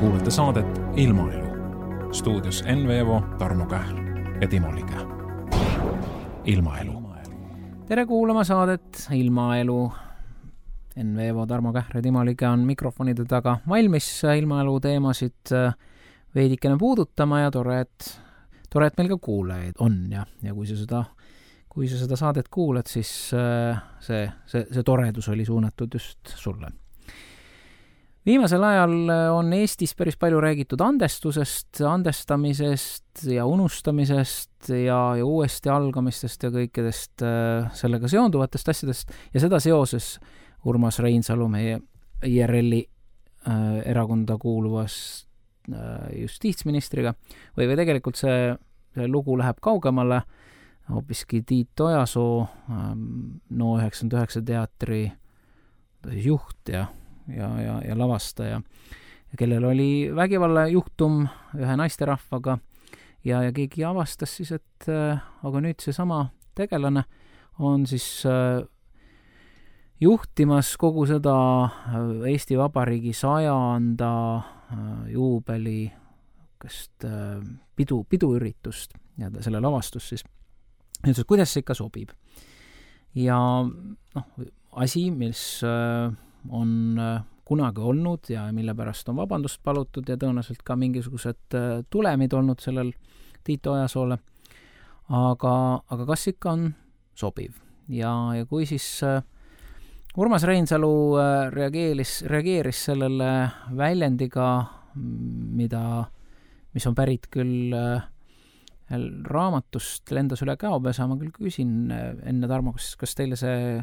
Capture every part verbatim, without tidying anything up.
kuulate saadet Ilmaelu. Stuudios Enn Veevo, Tarmo Kähl ja Timo Lige. Ilmaelu. Tere kuulama saadet Ilmaelu. Enn Veevo, Tarmo Kähl ja Timo Lige on mikrofonide taga valmis ilmaelu teemasid veidikene puudutama ja tore, et, tore, et meil ka kuulajaid on ja, ja kui sa seda kui sa seda saadet kuulad, siis see, see, see toredus oli suunatud just sulle. Viimasel ajal on Eestis päris palju räägitud andestusest, andestamisest ja unustamisest ja, ja uuesti algamistest ja kõikidest sellega seonduvatest asjadest ja seda seoses Urmas Reinsalu, meie I R L-i äh, erakonda kuuluvas äh, justiitsministriga või, või tegelikult see, see lugu läheb kaugemale, hoopiski Tiit Ojasoo, No üheksakümmend üheksa teatri juht ja, ja, ja, ja lavastaja, kellel oli vägivalla juhtum ühe naisterahvaga ja, ja keegi avastas siis, et äh, aga nüüd see sama tegelane on siis äh, juhtimas kogu seda Eesti Vabariigi sajanda äh, juubeli kest, äh, pidu, piduüritust ja selle lavastus siis. Nüüd, kuidas see ikka sobib. Ja noh, asi, mis on kunagi olnud ja mille pärast on vabandust palutud ja tõenäoliselt ka mingisugused tulemid olnud sellel Tiit Ojasoole. Aga, aga kas ikka on sobiv? Ja, ja kui siis Urmas Reinsalu reageeris, reageeris sellele väljendiga, mida, mis on pärit küll raamatust lendas üle käopesa, ma küll küsin enne Tarmo, kas, kas teile see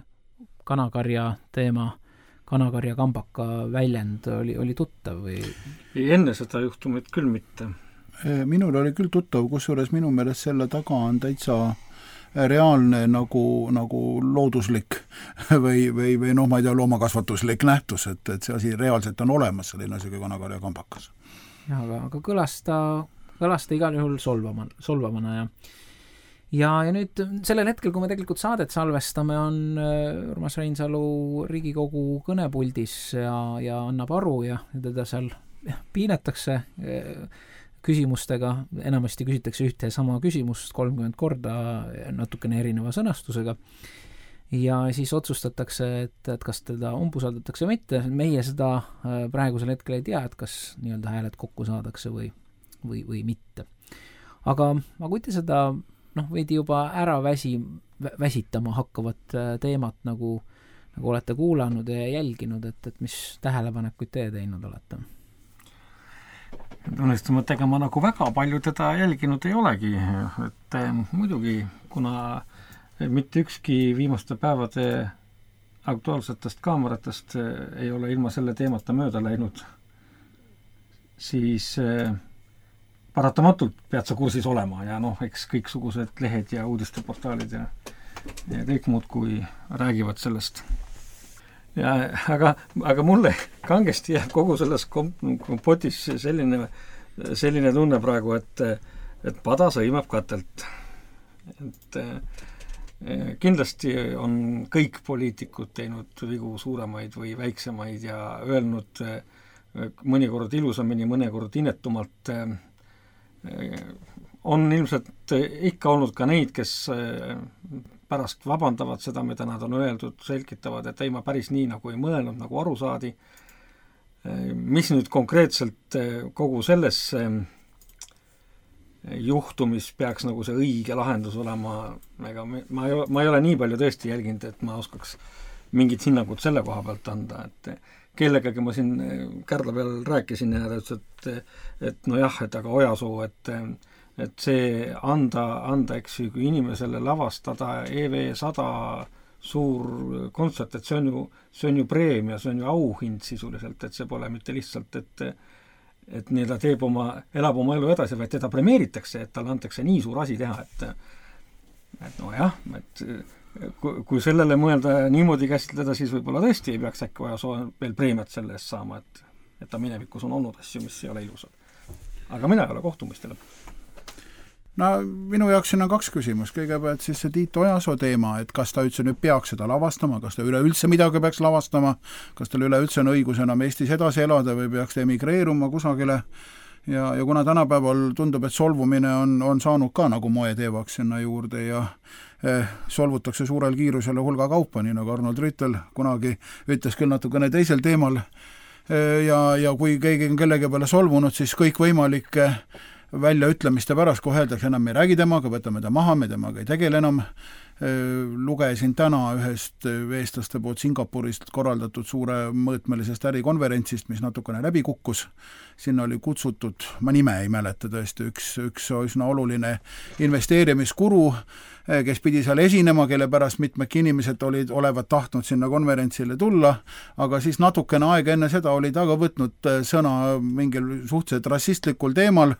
kanakarja teema, kanakarja kambaka väljend oli, oli tuttav või? Ei, enne seda juhtumit küll mitte. Minul oli küll tuttav, kusjuures minu meelest selle taga on täitsa reaalne nagu, nagu looduslik või, või, või noh, ma ei tea, loomakasvatuslik nähtus, et, et see asi reaalselt on olemas, selline asi kui kanakarja kambakas. Ja, aga, aga kõlas ta kõlas ta igal juhul solvama, solvamana ja ja, ja nüüd sellel hetkel, kui me tegelikult saadet salvestame, on Urmas Reinsalu Riigikogu kõnepuldis ja, ja annab aru ja teda seal piinetakse küsimustega, enamasti küsitakse ühte sama küsimust kolmkümmend korda natukene erineva sõnastusega ja siis otsustatakse, et, et kas teda umbusaldatakse või mitte. Meie seda praegusel hetkel ei tea, et kas nii-öelda hääled kokku saadakse või või, või mitte. Aga, aga kui te seda noh, veidi juba ära väsi, väsitama hakkavat teemat nagu, nagu olete kuulanud ja jälginud, et, et mis tähelepanekuid te teinud olete? Tunnistama, et ega ma nagu väga palju teda jälginud ei olegi, et eh, muidugi, kuna mitte ükski viimaste päevade aktuaalsetest kaameratest eh, ei ole ilma selle teemata mööda läinud, siis eh, paratamatult pead sa kursis olema ja noh, eks kõiksugused lehed ja uudisteportaalid ja, ja kõik muud, kui räägivad sellest. Ja, aga, aga mulle kangesti jääb kogu selles kompotis selline, selline tunne praegu, et, et pada sõimab katelt. Et kindlasti on kõik poliitikud teinud vigu suuremaid või väiksemaid ja öelnud mõnikord ilusamini, mõnikord inetumalt. On ilmselt ikka olnud ka neid, kes pärast vabandavad seda, mida nad on öeldud, selgitavad, et ei, ma päris nii nagu ei mõelnud, nagu aru saadi. Mis nüüd konkreetselt kogu selles juhtumis peaks nagu see õige lahendus olema, ega ma ei, ma ei ole nii palju tõesti jälginud, et ma oskaks mingit hinnangut selle koha pealt anda, et kellegagi ma siin Kärdla peal rääkisin ja ta ütles, et, et no jah, et aga Ojasoo, et, et see anda, anda, eks ju, kui inimesele lavastada E V sada suur kontsert, et see on ju, see on ju preemia, see on ju auhind sisuliselt, et see pole mitte lihtsalt, et, et nii ta teeb oma, elab oma elu edasi, vaid teda premeeritakse, et talle antakse nii suur asi teha, et, et no jah, et kui sellele mõelda niimoodi käsitleda, siis võib-olla tõesti ei peaks äkki vaja veel preemiat selle eest saama, et, et ta minevikus on olnud asju, mis ei ole ilusad. Aga mina ei ole kohtumistele. no minu jaoks siin on kaks küsimust, kõigepealt siis see Tiit Ojasoo teema, et kas ta üldse nüüd peaks seda lavastama, kas ta üleüldse midagi peaks lavastama, kas tal üleüldse on õigus enam Eestis edasi elada või peaks ta emigreeruma kusagile ja, ja kuna tänapäeval tundub, et solvumine on, on saanud ka nagu moeteevaks sinna juurde ja eh, solvutakse suurel kiirusele hulga kaupa, nii nagu Arnold Rüütel kunagi ütles küll natukene teisel teemal eh, ja, ja kui keegi on kellegi peale solvunud, siis kõik võimalike väljaütlemiste pärast, kui öeldakse, enam me ei räägi temaga, võtame ta maha, me temaga ei tegele enam. Lugesin täna ühest eestlaste poolt Singapurist korraldatud suure mõõtmelisest ärikonverentsist, mis natukene läbi kukkus. Sinna oli kutsutud, ma nime ei mäleta tõesti, üks, üks üsna oluline investeerimiskuru, kes pidi seal esinema, kelle pärast mitmedki inimesed olid, olevat tahtnud sinna konverentsile tulla, aga siis natukene aega enne seda oli ta ka võtnud sõna mingil suhteliselt rassistlikul teemal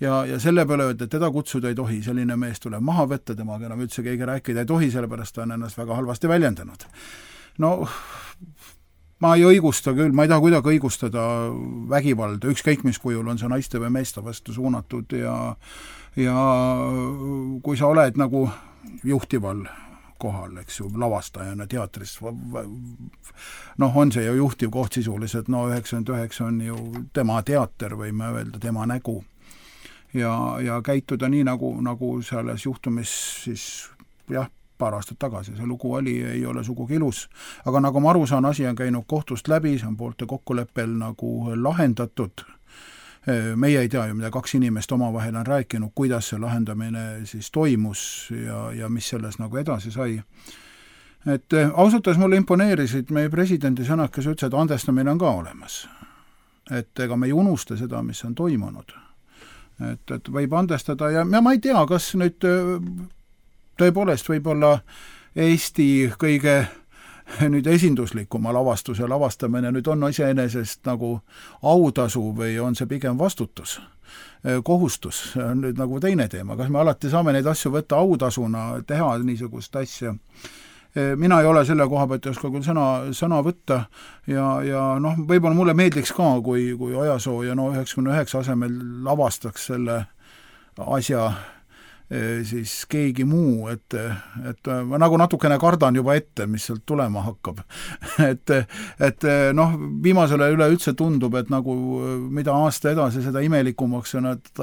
ja, ja selle peale öelda, et teda kutsuda ei tohi, selline mees tuleb maha võtta, temaga enam üldse keegi rääkida ei tohi, sellepärast ta on ennast väga halvasti väljendanud. No ma ei õigusta küll, ma ei taha kuidagi õigustada vägivalda, ükskõik mis kujul on see naiste või meeste vastu suunatud ja, ja kui sa oled nagu juhtival kohal, eks ju, lavastajana teatris, noh, on see ju juhtiv koht sisuliselt, no üheksakümmend üheksa on ju tema teater, võime öelda, tema nägu. Ja, ja käituda nii, nagu, nagu selles juhtumis siis, jah, paar aastat tagasi, see lugu oli, ei ole sugugi ilus, aga nagu ma aru saan, asi on käinud kohtust läbi, see on poolte kokkuleppel nagu lahendatud. Meie ei tea ju, mida kaks inimest omavahel on rääkinud, kuidas see lahendamine siis toimus ja, ja mis selles nagu edasi sai. Et ausalt öeldes mulle imponeerisid meie presidendi sõnad, kes ütles, et andestamine on ka olemas. Et ega me ei unusta seda, mis on toimunud. Et, et võib andestada ja, ja ma ei tea, kas nüüd tõepoolest võib-olla Eesti kõige nüüd esinduslikuma lavastuse lavastamine nüüd on iseenesest nagu autasu või on see pigem vastutus, kohustus, see on nüüd nagu teine teema, kas me alati saame neid asju võtta autasuna, teha niisugust asja. Mina ei ole selle koha pealt, ei oska küll sõna, sõna võtta ja, ja noh, võib-olla mulle meeldiks ka, kui, kui Ojasoo ja no üheksakümne üheksa asemel lavastaks selle asja siis keegi muu, et, et ma nagu natukene kardan juba ette, mis sealt tulema hakkab. et, et noh, viimasele üleüldse tundub, et nagu mida aasta edasi, seda imelikumaks on, et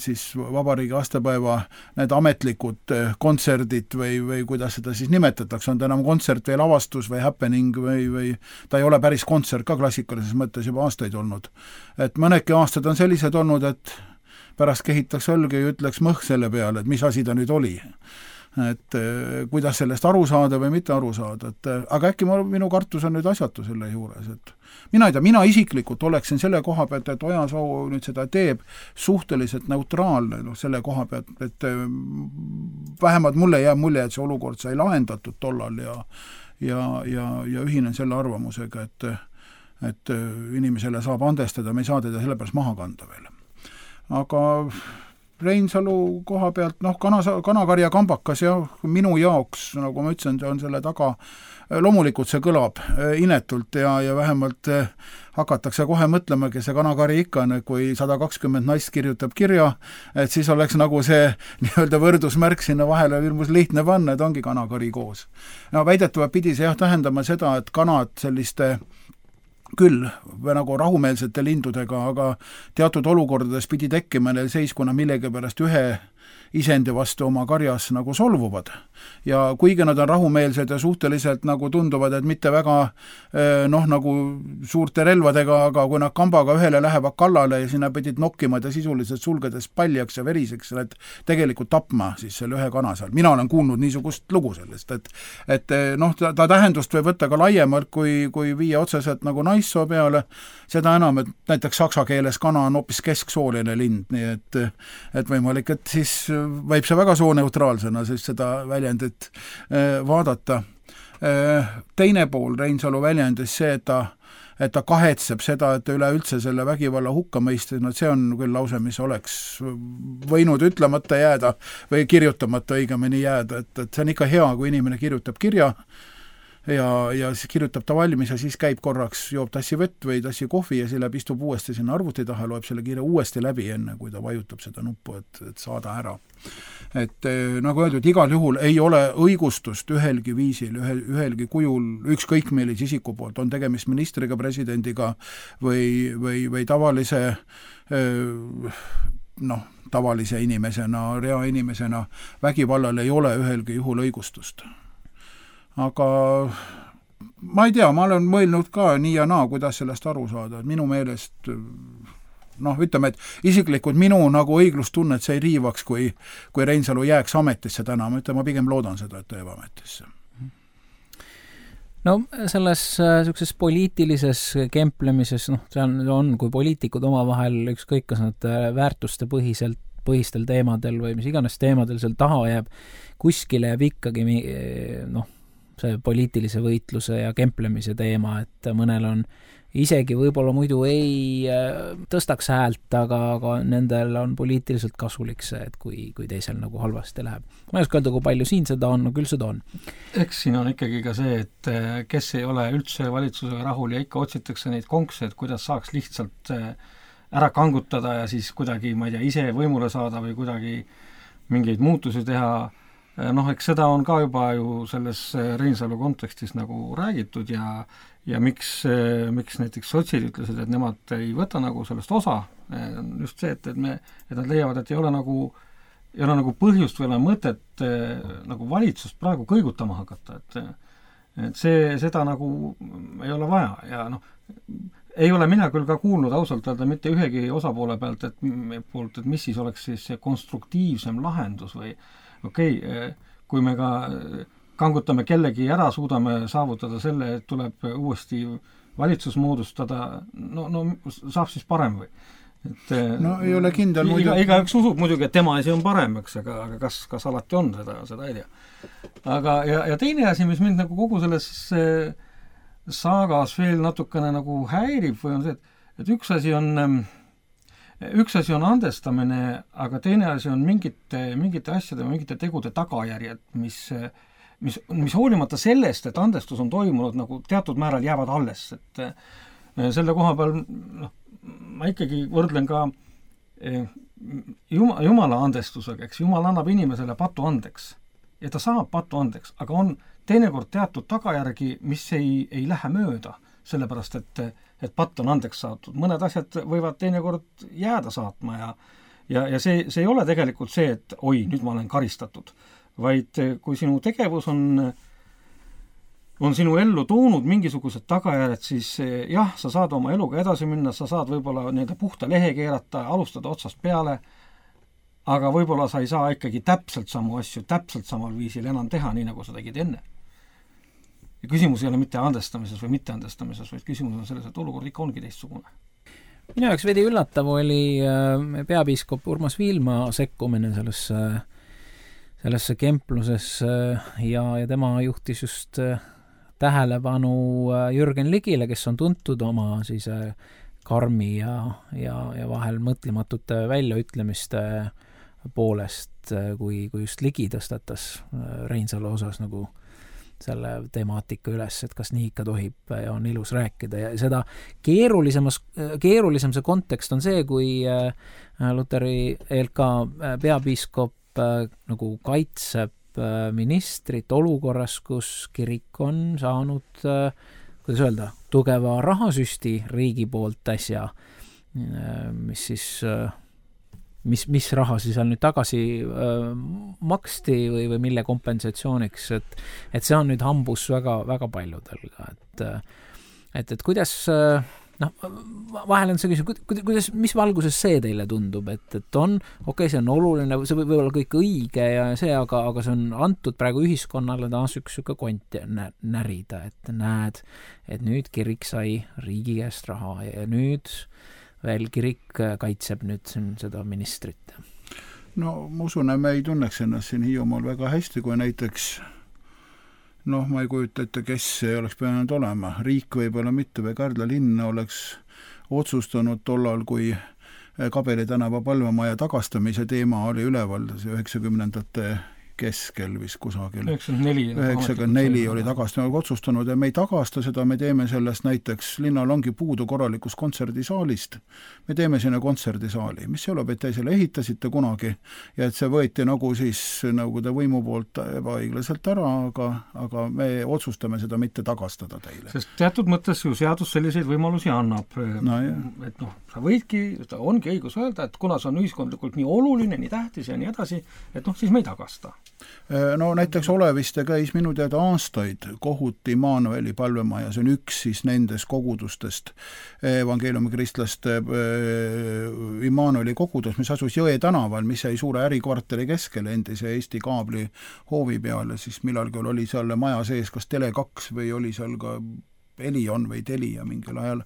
siis vabariigi aastapäeva need ametlikud kontserdid või, või kuidas seda siis nimetatakse, on ta enam kontsert või lavastus või happening või, või ta ei ole päris kontsert ka klassikalises mõttes juba aastaid olnud. Et mõnedki aastad on sellised olnud, et pärast kehitaks õlge ja ütleks mõh selle peale, et mis asi ta nüüd oli. Et kuidas sellest aru saada või mitte aru saada. Et, aga äkki ma, minu kartus on nüüd asjatu selle juures. Et mina ei tea, mina isiklikult oleksin selle koha pealt, et Ojasoo nüüd seda teeb suhteliselt neutraalne no, selle koha pealt, et vähemalt mulle jääb mulje, et see olukord sai lahendatud tollal ja, ja, ja, ja ühinen selle arvamusega, et, et inimesele saab andestada, me ei saa teda sellepärast maha kanda veel. Aga Reinsalu koha pealt, noh, kana, kanakarja kambakas ja minu jaoks, nagu ma ütlesin, on selle taga, loomulikult see kõlab inetult ja, ja vähemalt hakatakse kohe mõtlema, kes see kanakari ikka on, kui sada kakskümmend naist kirjutab kirja, et siis oleks nagu see nii-öelda võrdusmärk sinna vahele ilmus lihtne panna, et ongi kanakari koos. No väidetavalt pidi see jah tähendama seda, et kanad selliste küll nagu rahumeelsete lindudega, aga teatud olukordades pidi tekkima neil seis, kuna millegi pärast ühe isendi vastu oma karjas nagu solvuvad. Ja kuigi nad on rahumeelsed ja suhteliselt nagu tunduvad, et mitte väga noh, nagu suurte relvadega, aga kui nad kambaga ühele lähevad kallale ja sinna pidid nokkima ja sisuliselt sulgedes paljaks ja veriseks, et tegelikult tapma siis selle ühe kana seal. Mina olen kuulnud niisugust lugu sellest, et, et noh, ta, ta tähendust võib võtta ka laiemalt, kui, kui viia otseselt nagu naissoo peale, seda enam, et näiteks saksa keeles kana on hoopis kesksooline lind, nii et, et võimalik, et siis võib see väga sooneutraalsena siis seda väljendit vaadata. Teine pool Reinsalu väljendis see, et ta, et ta kahetseb seda, et ta üleüldse selle vägivalla hukka mõistis, no see on küll lause, mis oleks võinud ütlemata jääda või kirjutamata õigemini jääda, et, et see on ikka hea, kui inimene kirjutab kirja, ja, ja siis kirjutab ta valmis ja siis käib korraks, joob tassi vett või tassi kohvi ja siis läheb, istub uuesti sinna arvuti taha, loeb selle kirja uuesti läbi enne, kui ta vajutab seda nuppu, et, et saada ära. Et nagu öeldud, igal juhul ei ole õigustust ühelgi viisil, ühel, ühelgi kujul, ükskõik millise isiku poolt, on tegemist ministriga, presidendiga või, või, või tavalise noh, tavalise inimesena, rea inimesena, vägivallal ei ole ühelgi juhul õigustust. Aga ma ei tea, ma olen mõelnud ka nii ja naa, kuidas sellest aru saada, et minu meelest noh, ütleme, et isiklikult minu nagu õiglustunnet see ei riivaks, kui, kui Reinsalu jääks ametisse täna, ma ütlen, ma pigem loodan seda, et jääb ametisse. No selles sellises poliitilises kemplemises, noh, see on, on, kui poliitikud omavahel ükskõik, kas nad väärtuste põhiselt, põhistel teemadel või mis iganes teemadel seal taha jääb, kuskile jääb ikkagi noh, see poliitilise võitluse ja kemplemise teema, et mõnel on isegi võib-olla muidu ei tõstaks häält, aga, aga nendel on poliitiliselt kasulik see, et kui, kui teisel nagu halvasti läheb. Ma ei oska öelda, kui palju siin seda on, no küll seda on. Eks siin on ikkagi ka see, et kes ei ole üldse valitsusega rahul ja ikka otsitakse neid konkse, et kuidas saaks lihtsalt ära kangutada ja siis kuidagi, ma ei tea, ise võimule saada või kuidagi mingeid muutusi teha. Noh, eks seda on ka juba ju selles Reinsalu kontekstis nagu räägitud ja ja miks, miks näiteks sotsid ütlesid, et nemad ei võta nagu sellest osa, just see, et, et, me, et nad leiavad, et ei ole nagu, ei ole nagu põhjust või ole mõtet nagu valitsust praegu kõigutama hakata, et, et see, seda nagu ei ole vaja ja noh, ei ole mina küll ka kuulnud ausalt öelda mitte ühegi osapoole pealt, et, poolt, et mis siis oleks siis see konstruktiivsem lahendus või okei okay,, kui me ka kangutame kellegi ära, suudame saavutada selle, et tuleb uuesti valitsus moodustada, no, no saab siis parem või? Et, no ei ole kindel iga, iga üks usub muidugi, et tema asi on parem, eks, aga, aga kas, kas alati on seda, seda ei tea. Aga ja, ja teine asi, mis mind nagu kogu selles saagas veel natukene nagu häirib või on see, et, et üks asi on üks asi on andestamine, aga teine asi on mingite, mingite asjade või mingite tegude tagajärjed, mis mis, mis hoolimata sellest, et andestus on toimunud, nagu teatud määral jäävad alles, et selle koha peal noh, ma ikkagi võrdlen ka Jumala, Jumala andestusega, eks Jumal annab inimesele patu andeks ja ta saab patu andeks, aga on teinekord teatud tagajärgi, mis ei, ei lähe mööda, sellepärast et, et patt on andeks saadud. Mõned asjad võivad teinekord jääda saatma ja, ja, ja see, see ei ole tegelikult see, et oi, nüüd ma olen karistatud, vaid kui sinu tegevus on, on sinu ellu toonud mingisugused tagajärjed, siis jah, sa saad oma eluga edasi minna, sa saad võib-olla nii-öelda puhta lehe keerata, alustada otsast peale, aga võib-olla sa ei saa ikkagi täpselt samu asju, täpselt samal viisil enam teha, nii nagu sa tegid enne. Ja küsimus ei ole mitte andestamises või mitte andestamises, vaid küsimus on selles, et olukord ikka ongi teistsugune. Minu jaoks veidi üllatav oli peapiiskop Urmas Viilma sekkumine sellesse sellesse kemplusesse ja, ja tema juhtis just tähelepanu Jürgen Ligile, kes on tuntud oma siis karmi ja, ja, ja vahel mõtlematute väljaütlemiste poolest, kui, kui just Ligi tõstatas Reinsalu osas nagu selle temaatika üles, et kas nii ikka tohib ja on ilus rääkida ja seda keerulisemas, keerulisem see kontekst on see, kui Luteri E L K peapiiskop nagu kaitseb ministrit olukorras, kus kirik on saanud, kuidas öelda, tugeva rahasüsti riigi poolt äsja, mis siis, mis, mis raha siis on nüüd tagasi maksti või, või mille kompensatsiooniks, et, et see on nüüd hambus väga, väga paljudel ka, et, et, et kuidas noh, vahel on see küsimus, kuidas, mis valguses see teile tundub, et, et on, okei okay,, see on oluline, see võib olla kõik õige ja see, aga, aga see on antud praegu ühiskonnale taas üks süke kont närida, et näed, et nüüd kirik sai riigi käest raha ja nüüd veel kirik kaitseb nüüd seda ministrit. No ma usun, et me ei tunneks ennast siin Hiiumaal väga hästi, kui näiteks noh, ma ei kujuta ette, kes ei oleks pidanud olema. Riik võib-olla mitte või Kärdla linn oleks otsustanud tollal, kui Kabeli tänava palvemaja tagastamise teema oli üleval üheksakümnendate keskel vist kusagil. üheksakümmend neli oli tagastanud otsustanud ja me ei tagasta seda, me teeme sellest näiteks, linnal ongi puudu korralikust kontserdisaalist, me teeme sinna kontserdisaali, mis selle pealt te selle ehitasite kunagi ja et see võeti nagu siis Nõukogude võimu poolt ebaõiglaselt ära, aga, aga me otsustame seda mitte tagastada teile. Sest teatud mõttes ju seadus selliseid võimalusi annab, no, et noh, sa võidki, ta ongi õigus öelda, et kuna see on ühiskondlikult nii oluline, nii tähtis ja nii edasi, et noh, siis me ei tagasta. No näiteks Oleviste käis minu teada aastaid kohuti Immanueli palvemaja, see on üks siis nendest kogudustest, evangeeliumi kristlaste Immanueli kogudus, mis asus Jõe tänaval, mis jäi suure ärikvartali keskele endise Eesti kaabli hoovi peale, siis millalgi oli seal maja sees kas Tele kaks või oli seal ka Elion või Telia mingil ajal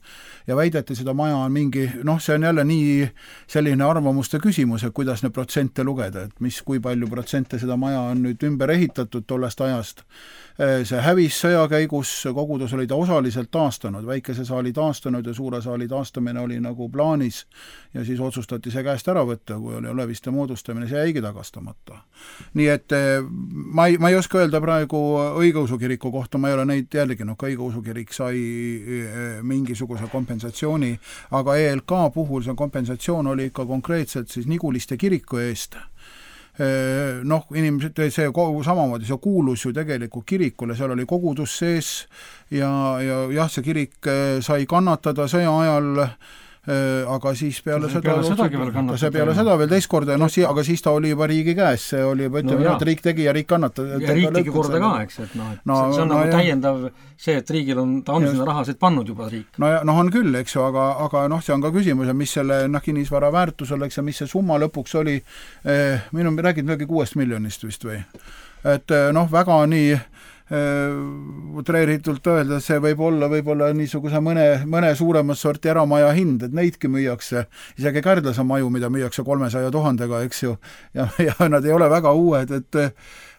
ja väideti seda maja on mingi, noh, see on jälle nii selline arvamuste küsimus, et kuidas need protsente lugeda, et mis, kui palju protsente seda maja on nüüd ümber ehitatud tollest ajast. See hävis sõja käigus, kogudus oli ta osaliselt taastanud, väikese saali taastanud ja suure saali taastamine oli nagu plaanis ja siis otsustati see käest ära võtta, kui oli Oleviste moodustamine, see jäigi tagastamata. Nii et ma ei, ma ei oska öelda praegu õigeusu kiriku kohta, ma ei ole neid jälginud, ka õigeusu kirik sai mingisuguse kompensatsiooni, aga E L K puhul see kompensatsioon oli ikka konkreetselt siis Niguliste kiriku eest. Noh, inimesed, see samamoodi, see kuulus ju tegelikult kirikule, seal oli kogudus sees ja, ja jah, see kirik sai kannatada sõja ajal, aga siis peale see seda peale sedagi veel kannatada. See peale seda veel teist korda, noh, aga siis ta oli juba riigi käes, see oli, ütleme, no, et riik tegi ja riik kannatada. Ja riik tegi korda ka, eks, et noh, et no, see on no, nagu jah. Täiendav see, et riigil on, ta on sinna rahasid pannud juba riik. No, ja, no on küll, eks ju, aga, aga noh, see on ka küsimus, mis selle noh, kinnisvara väärtus oleks ja mis see summa lõpuks oli, eh, minu räägid midagi kuuest miljonist vist või? Et noh, väga nii utreeritult öelda, see võib olla võib-olla niisuguse mõne, mõne suuremat sorti eramaja hind, et neidki müüakse, isegi Kärdlase maju, mida müüakse kolmesaja tuhandega, eks ju, ja, ja nad ei ole väga uued, et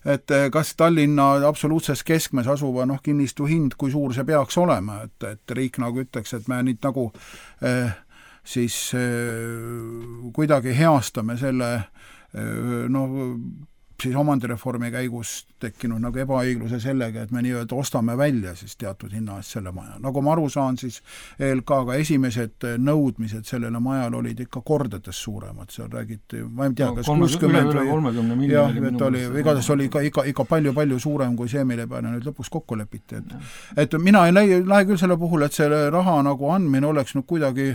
et kas Tallinna absoluutses keskmes asuva noh, kinnistu hind, kui suur see peaks olema, et, et riik nagu ütleks, et me nüüd nagu eh, siis eh, kuidagi heastame selle eh, noh, siis omandireformi käigus tekkinud nagu ebaõigluse sellega, et me nii-öelda ostame välja siis teatud hinna eest selle maja. Nagu ma aru saan, siis E L K-ga esimesed nõudmised sellele majal olid ikka kordades suuremad, seal räägiti, ma ei tea, no, kas kuuskümmend või jah, et oli, igatahes oli ikka, ikka, ikka palju-palju suurem kui see, mille peale nüüd lõpuks kokku lepiti. Et, et mina ei lähe, lähe küll selle puhul, et selle raha nagu andmine oleks nüüd kuidagi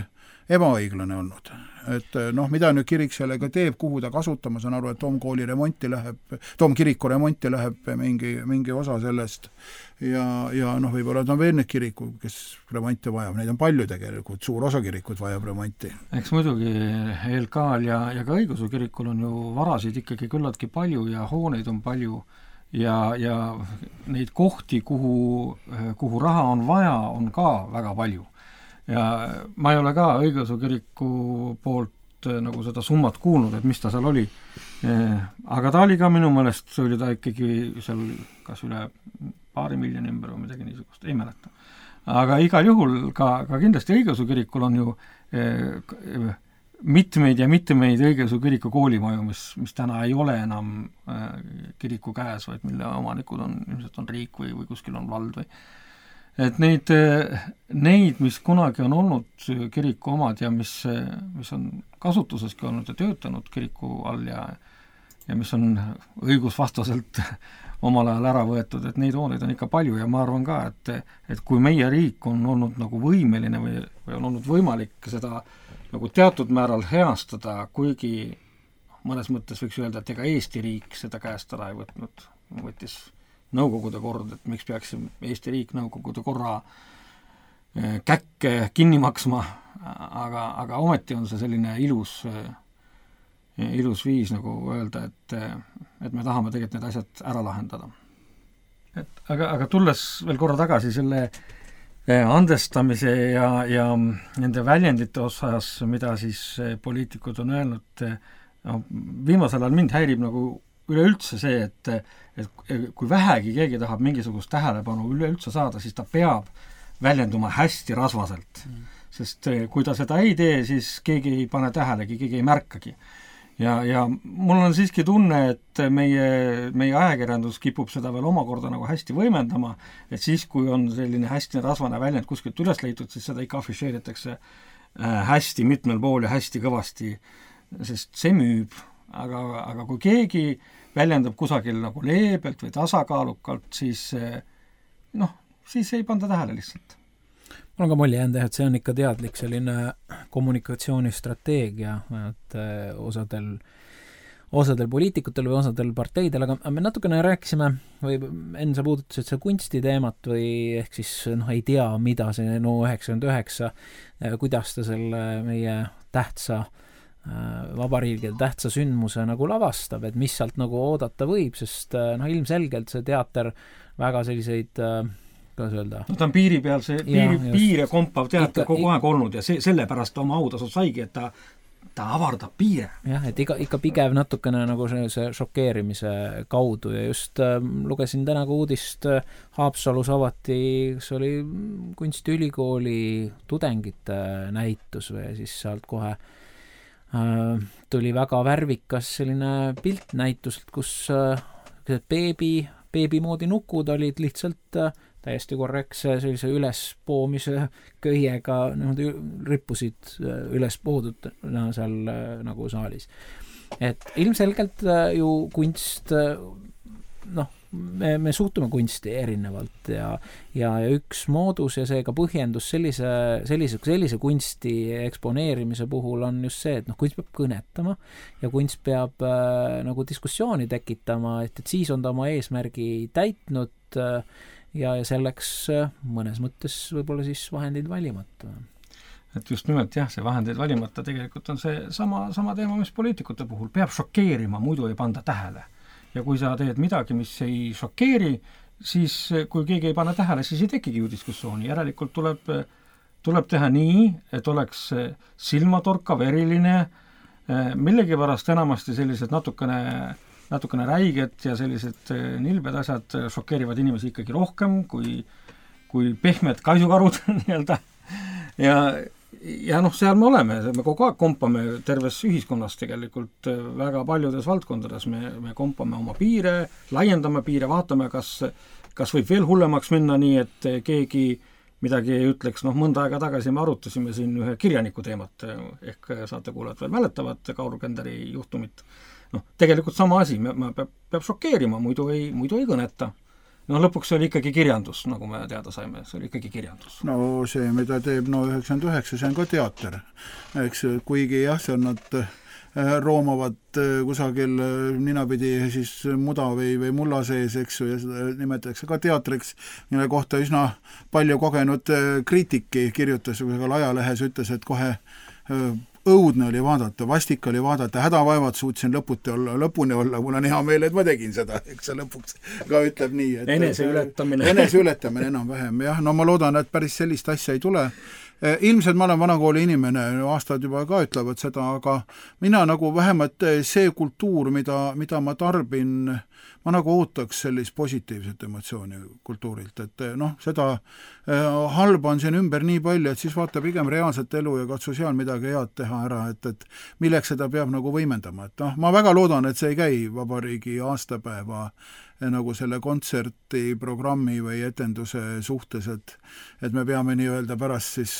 ebaõiglane olnud. Et noh, mida nüüd kirik sellega teeb, kuhu ta kasutama, saan aru, et Toomkooli remonti läheb, Toomkiriku remonti läheb mingi, mingi osa sellest ja, ja noh, võib-olla on veel need kiriku, kes remonti vajab, neid on palju tegelikult, suur osa kirikut vajab remonti. Eks muidugi E L K-l ja, ja ka õigeusu kirikul on ju varasid ikkagi küllaltki palju ja hooneid on palju ja, ja neid kohti, kuhu, kuhu raha on vaja, on ka väga palju. Ja ma ei ole ka õigeusu kiriku poolt nagu seda summat kuulnud, et mis ta seal oli. Aga ta oli ka minu meelest, see oli ta ikkagi seal kas üle paari miljoni ümber või midagi niisugust, ei mäleta. Aga igal juhul ka, ka kindlasti õigeusu kirikul on ju eh, mitmeid ja mitmeid õigeusu kiriku koolimaju, mis, mis täna ei ole enam eh, kiriku käes, vaid mille omanikud on, ilmselt on riik või, või kuskil on vald või et neid, neid, mis kunagi on olnud kiriku omad ja mis, mis on kasutuseski olnud ja töötanud kiriku all ja, ja mis on õigusvastaselt omal ajal ära võetud, et neid hooneid on ikka palju ja ma arvan ka, et, et kui meie riik on olnud nagu võimeline või, või on olnud võimalik seda nagu teatud määral heastada, kuigi mõnes mõttes võiks öelda, et ega Eesti riik seda käest ära ei võtnud, võttis Nõukogude kord, et miks peaks Eesti riik Nõukogude korra käkke kinni maksma, aga, aga ometi on see selline ilus, ilus viis nagu öelda, et, et me tahame tegelikult need asjad ära lahendada. Et, aga, aga tulles veel korra tagasi selle andestamise ja, ja nende väljendite osas, mida siis poliitikud on öelnud, no, viimasel ajal mind häirib nagu üleüldse see, et, et kui vähegi keegi tahab mingisugust tähelepanu üleüldse saada, siis ta peab väljenduma hästi rasvaselt. Mm. Sest kui ta seda ei tee, siis keegi ei pane tähelegi, keegi ei märkagi. ja, ja mul on siiski tunne, et meie, meie ajakirjandus kipub seda veel omakorda nagu hästi võimendama, et siis, kui on selline hästi rasvane väljend kuskilt üles leitud, siis seda ikka afišeeritakse hästi mitmel pool ja hästi kõvasti, sest see müüb, aga, aga kui keegi väljendab kusagil nagu leebelt või tasakaalukalt, siis noh, siis ei panda tähele lihtsalt. Mul on ka mulje jäänud, et see on ikka teadlik selline kommunikatsioonistrateegia, et osadel, osadel poliitikutel või osadel parteidel, aga me natukene rääkisime, või enne sa puudutasid see kunstiteemat või ehk siis noh, ei tea, mida see no üheksakümmend üheksa, kuidas ta selle meie tähtsa vabariigi tähtsa sündmuse nagu lavastab, et mis sealt nagu oodata võib, sest noh, ilmselgelt see teater väga selliseid, kuidas öelda? No ta on piiri peal, see piiri, ja, piire kompav teater ikka, kogu aeg olnud ja see, sellepärast ta oma autasud saigi, et ta, ta avardab piire. Jah, et iga, ikka pigev natukene nagu see, see šokeerimise kaudu ja just äh, lugesin täna ka uudist äh, Haapsalus avati, kas oli kunstiülikooli tudengite näitus või siis sealt kohe tuli väga värvikas selline piltnäitus, kus beebi, beebi moodi nukud olid lihtsalt täiesti korrektse sellise ülespoomise köiega niimoodi rippusid üles poodud no, seal nagu saalis. Et ilmselgelt ju kunst, noh, me, me suhtume kunsti erinevalt ja, ja, ja üks moodus ja seega põhjendus sellise, sellise, sellise kunsti eksponeerimise puhul on just see, et noh, kunst peab kõnetama ja kunst peab äh, nagu diskussiooni tekitama, et, et siis on ta oma eesmärgi täitnud äh, ja, ja selleks äh, mõnes mõttes võib-olla siis vahendeid valimata. Et just nimelt jah, see vahendeid valimata tegelikult on see sama, sama teema, mis poliitikute puhul peab šokeerima, muidu ei panda tähele. Ja kui sa teed midagi, mis ei šokeeri, siis kui keegi ei pane tähele, siis ei tekigi ju diskussiooni. Järelikult tuleb, tuleb teha nii, et oleks silmatorkav, eriline, millegipärast enamasti sellised natukene, natukene räiged ja sellised nilbed asjad šokeerivad inimesi ikkagi rohkem kui, kui pehmed kaisukarud nii-öelda. Ja ja noh, seal me oleme, me kogu aeg kompame terves ühiskonnas tegelikult väga paljudes valdkondades, me, me kompame oma piire, laiendame piire, vaatame, kas, kas võib veel hullemaks minna nii, et keegi midagi ei ütleks, noh mõnda aega tagasi me arutasime siin ühe kirjaniku teemat, ehk saate kuulajad veel mäletavad Kaur Kenderi juhtumit. Noh, tegelikult sama asi, me, me peab, peab šokeerima, muidu ei, muidu ei kõneta. No lõpuks oli ikkagi kirjandus, nagu me teada saime, see oli ikkagi kirjandus. No see, mida teeb no üheksakümmend üheksa, see on ka teater. Eks kuigi jah, see on nad roomavad kusagil ninapidi siis muda või, või mulla sees, eks ju, ja seda nimetatakse ka teatriks, mille kohta üsna palju kogenud kriitiki kirjutas, kusagil ajalehes ütles, et kohe õudne oli vaadata, vastik oli vaadata, hädavaevad suutsin lõputi olla, lõpuni olla, mul on hea meel, et ma tegin seda, eks see lõpuks ka ütleb nii. Et enese ületamine. Enese ületamine enam vähem, jah, no ma loodan, et päris sellist asja ei tule. Ilmselt ma olen vanakooli inimene, aastad juba ka ütlevad seda, aga mina nagu vähemalt see kultuur, mida, mida ma tarbin, ma nagu ootaks sellist positiivset emotsiooni kultuurilt, et noh, seda halba on siin ümber nii palju, et siis vaata pigem reaalset elu ja katsu seal midagi head teha ära, et, et milleks seda peab nagu võimendama, et noh, ma väga loodan, et see ei käi vabariigi aastapäeva nagu selle kontserti, programmi või etenduse suhtes, et, et me peame nii-öelda pärast siis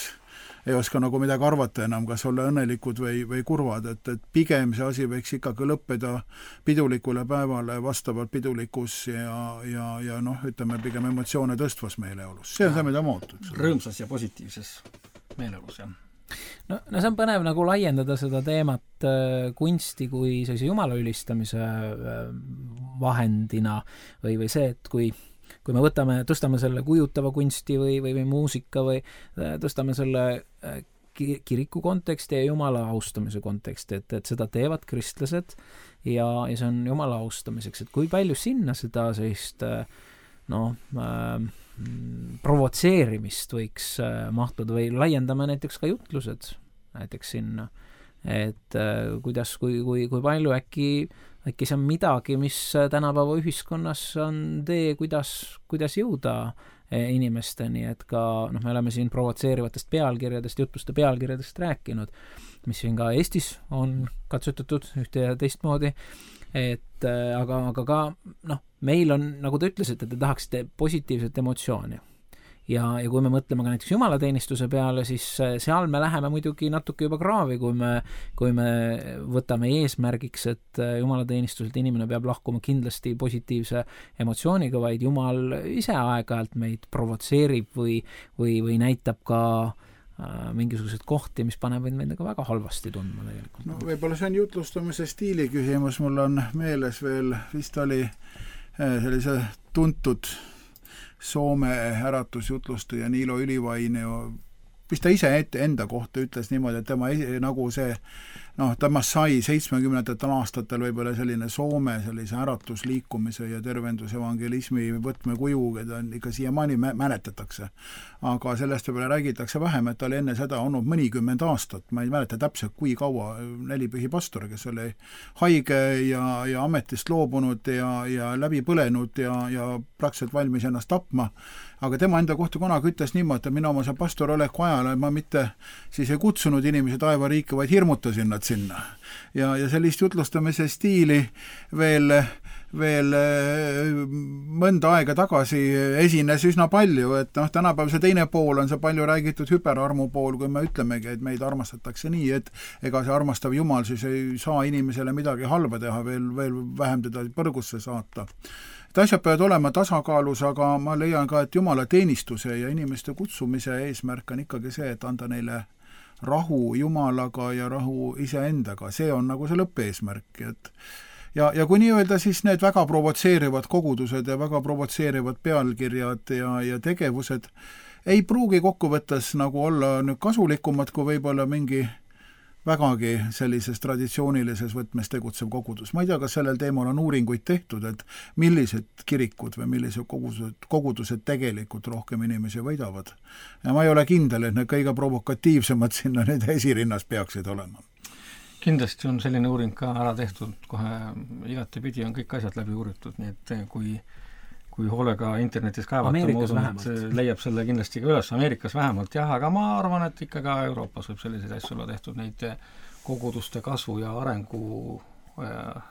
ei oska nagu midagi arvata enam, kas olla õnnelikud või, või kurvad, et, et pigem see asi võiks ikkagi lõppeda pidulikule päevale vastavalt pidulikus ja, ja, ja noh, ütleme pigem emotsioone tõstvas meeleolus. See on see, mida ma ootan. Rõõmsas ja positiivses meeleolus, jah. No, no see on põnev nagu laiendada seda teemat äh, kunsti kui sellise jumala ülistamise äh, vahendina või, või see, et kui kui me võtame, tõstame selle kujutava kunsti või, või, või muusika või tõstame selle kiriku konteksti ja jumala austamise konteksti, et, et seda teevad kristlased ja, ja see on jumala austamiseks, et kui palju sinna seda sellist noh, äh, provotseerimist võiks äh, mahtuda või laiendame näiteks ka jutlused näiteks sinna, et äh, kuidas, kui, kui, kui palju äkki äkki see on midagi, mis tänapäeva ühiskonnas on tee, kuidas, kuidas jõuda inimesteni, et ka, noh, me oleme siin provotseerivatest pealkirjadest, jutluste pealkirjadest rääkinud, mis siin ka Eestis on katsutatud ühte ja teistmoodi, et aga, aga ka, noh, meil on, nagu te ütlesite, te tahaksite positiivset emotsiooni. Ja, ja kui me mõtleme ka näiteks jumalateenistuse peale, siis seal me läheme muidugi natuke juba kraavi, kui me, kui me võtame eesmärgiks, et jumalateenistuselt inimene peab lahkuma kindlasti positiivse emotsiooniga, vaid Jumal ise aeg-ajalt meid provotseerib või, või, või näitab ka äh, mingisuguseid kohti, mis panevad meid väga halvasti tundma tegelikult. No võib-olla see on jutlustamise stiili küsimus, mul on meeles veel, vist oli sellise tuntud Soome äratusjutlustaja Niilo Ylivainio, mis ta ise ette enda kohta ütles niimoodi, et tema nagu see, noh, tema sai seitsmekümnendatel aastatel võib-olla selline Soome sellise äratusliikumise ja tervendusevangelismi võtmekuju, keda ikka siiamaani mäletatakse. Aga sellest võib-olla räägitakse vähem, et ta oli enne seda olnud mõnikümmend aastat, ma ei mäleta täpselt kui kaua, nelipühi pastor, kes oli haige ja, ja ametist loobunud ja, ja läbi põlenud ja, ja praktiliselt valmis ennast tapma. Aga tema enda kohta kunagi ütles niimoodi, et mina oma see pastor oleku ajal, ma mitte siis ei kutsunud inimesi taevariiki, vaid hirmutasin nad sinna. Ja, ja sellist jutlustamise stiili veel, veel mõnda aega tagasi esines üsna palju, et noh, tänapäev see teine pool on see palju räägitud hüperarmu pool, kui me ütlemegi, et meid armastatakse nii, et ega see armastav Jumal siis ei saa inimesele midagi halba teha, veel, veel vähem teda põrgusse saata. Et asjad peavad olema tasakaalus, aga ma leian ka, et Jumala teenistuse ja inimeste kutsumise eesmärk on ikkagi see, et anda neile rahu Jumalaga ja rahu iseendaga. See on nagu see lõppeesmärk. Et ja, ja kui nii öelda, siis need väga provotseerivad kogudused ja väga provotseerivad pealkirjad ja, ja tegevused ei pruugi kokkuvõttes nagu olla nüüd kasulikumad, kui võib-olla mingi vägagi sellises traditsioonilises võtmes tegutsev kogudus. Ma ei tea, kas sellel teemal on uuringuid tehtud, et millised kirikud või millised kogudused, kogudused tegelikult rohkem inimesi võidavad. Ja ma ei ole kindel, et need kõige provokatiivsemad sinna need esirinnas peaksid olema. Kindlasti on selline uuring ka ära tehtud, kohe igatepidi on kõik asjad läbi uuritud, nii et kui kui hoolega internetis kaevata, Ameerikas ma vähemalt. usun, et leiab selle kindlasti ka üles, Ameerikas vähemalt jah, aga ma arvan, et ikka ka Euroopas võib selliseid asju olla tehtud, neid koguduste kasvu ja arengu äh,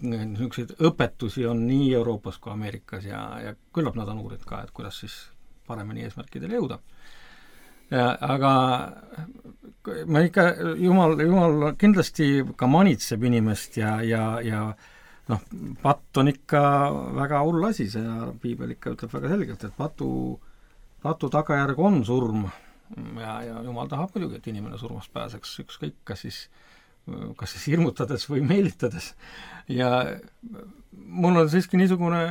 niisuguseid õpetusi on nii Euroopas kui Ameerikas ja, ja küllap nad on uurid ka, et kuidas siis paremini eesmärkidele jõuda. Ja, aga ma ikka, Jumal, Jumal kindlasti ka manitseb inimest ja, ja, ja noh, patt on ikka väga hull asi, see piibel ikka ütleb väga selgelt, et patu, patu tagajärg on surm ja, ja Jumal tahab muidugi, et inimene surmast pääseks, ükskõik, kas siis, kas siis hirmutades või meelitades. Ja mul on siiski niisugune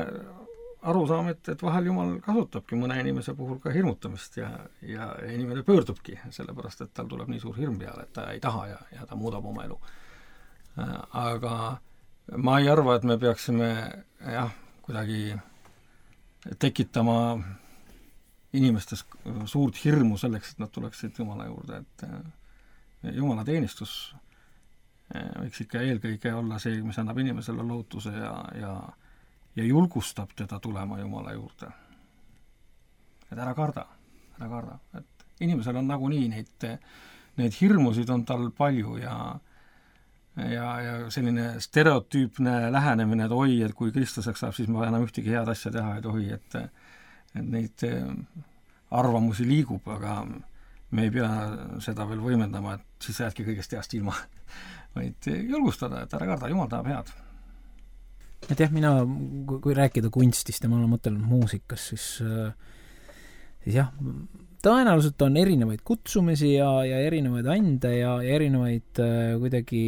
arusaam, et, et vahel Jumal kasutabki mõne inimese puhul ka hirmutamist ja, ja inimene pöördubki, sellepärast, et tal tuleb nii suur hirm peale, et ta ei taha ja, ja ta muudab oma elu. Aga ma ei arva, et me peaksime jah, kuidagi tekitama inimestes suurt hirmu selleks, et nad tuleksid Jumala juurde, et Jumala teenistus võiks ikka eelkõige olla see, mis annab inimesele lootuse ja, ja, ja julgustab teda tulema Jumala juurde. Et ära karda, ära karda. Et inimesel on nagunii neid, neid hirmusid on tal palju ja ja, ja selline stereotüüpne lähenemine, et oi, et kui kristlaseks saab, siis ma enam ühtegi head asja teha ei tohi, et, et neid arvamusi liigub, aga me ei pea seda veel võimendama, et siis jäädki kõigest heast ilma, vaid julgustada, et ära karda, Jumal tahab head. Et jah, mina, kui rääkida kunstist ja ma olen mõtelnud muusikas, siis, siis jah, tõenäoliselt on erinevaid kutsumisi ja, ja erinevaid ande ja, ja erinevaid äh, kuidagi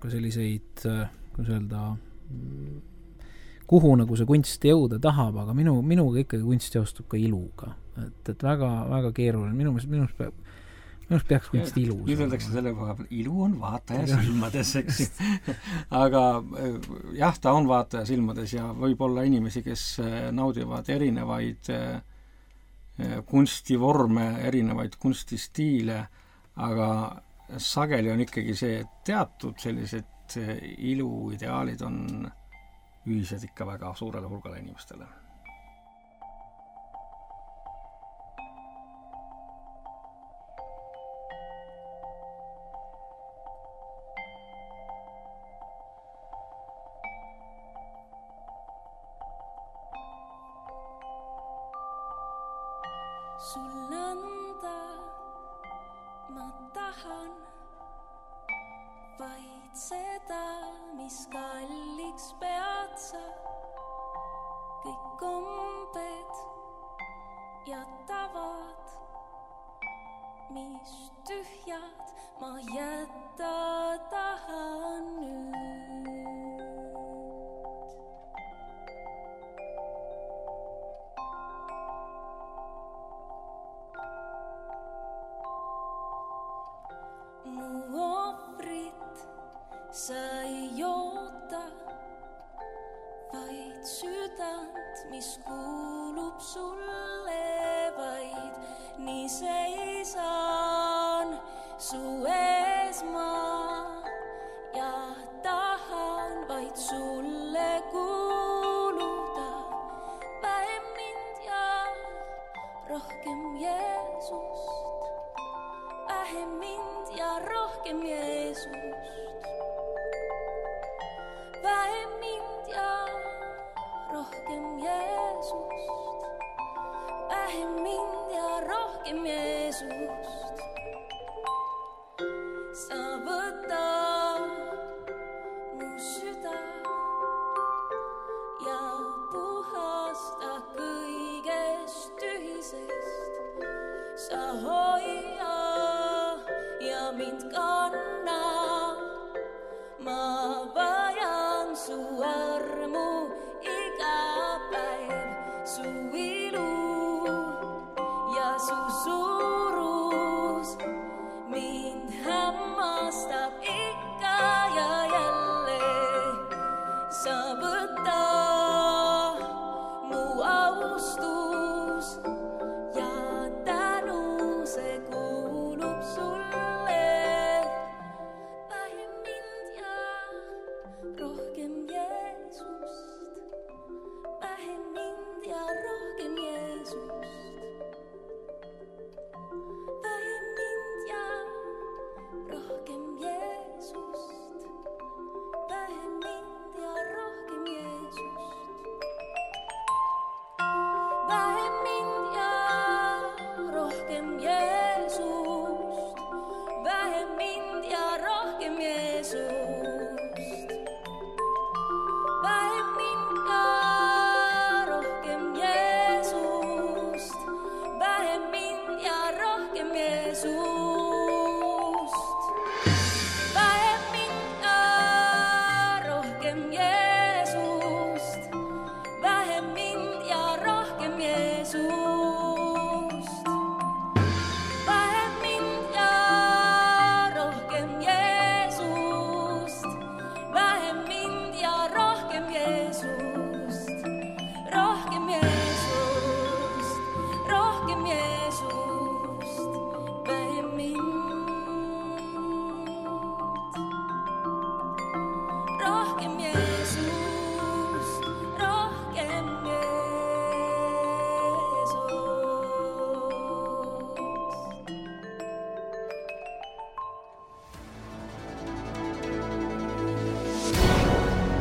ka selliseid, äh, kuidas öelda, kuhu nagu see kunst jõuda tahab, aga minu, minuga ikkagi kunst seostub ka iluga. Et, et väga, väga keeruline. Minu minust peab minust peaks kunst ilus. Nüüd öeldakse selle koha peal, ilu on vaataja silmades, eks. Aga jah, ta on vaataja silmades ja võib olla inimesi, kes naudivad erinevaid kunstivorme, erinevaid kunstistiile, aga sageli on ikkagi see teatud sellised iluideaalid on ühised ikka väga suurele hulgale inimestele. sul anda ma tahan vaid seda, mis kalliks pead sa. Kõik kombed ja tavad, mis tühjad ma jätta tahan nüüd. Mu ohvrit sa ei oota, vaid südant, mis kuulub sulle, vaid nii seisan su ees ma ja tahan vaid sulle kuuluda. Vähem mind ja rohkem Jeesust, vähem mind ja rohkem Jeesust, vähem mind ja rohkem Jeesust, vähem mind ja rohkem Jeesust. Sa võta mu süda ja puhasta kõigest tühisest. Sa hoia ja mind kanna, ma vajan su armu iga päev, su ilu ja su suurus mind hämmastab ikka ja jälle. Sa võta mu austus ja tänu, see kuulub sulle. Vähem mind ja rohkem Jeesust, vähem mind ja rohkem Jeesust, vähem mind ja rohkem Jeesust, vähem mind ja rohkem Jeesust, vähem mind ja rohkem Jeesust, vähem mind ja rohkem Jeesust, vähem mind ja rohkem Jeesust, vähem mind ja rohkem Jeesust, vähem mind ja rohkem Jeesust, vähem mind ja rohkem Jeesust, vähem mind ja rohkem Jeesust, vähem mind ja rohkem Jeesust, rohkem Jeesust, rohkem Jeesust, vähem mind, rohkem Jeesust, rohkem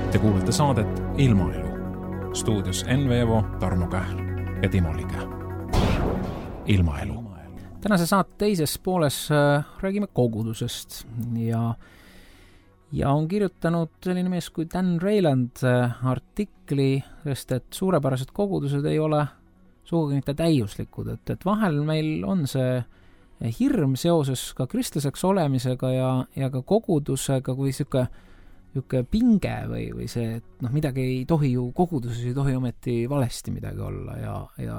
Te kuulete saadet Ilmaelu. Stuudios Enn Veevo, Tarmo Kähl ja Timo Liga. Ilmaelu. Tänase saate teises pooles äh, räägime kogudusest ja ja on kirjutanud selline mees kui Dan Reiland äh, artikli, sest et suurepärased kogudused ei ole sugugi mitte täiuslikud, et, et vahel meil on see hirm seoses ka kristlaseks olemisega ja, ja ka kogudusega, kui siuke niisugune pinge või, või see, et noh, midagi ei tohi ju, koguduses ei tohi ometi valesti midagi olla ja, ja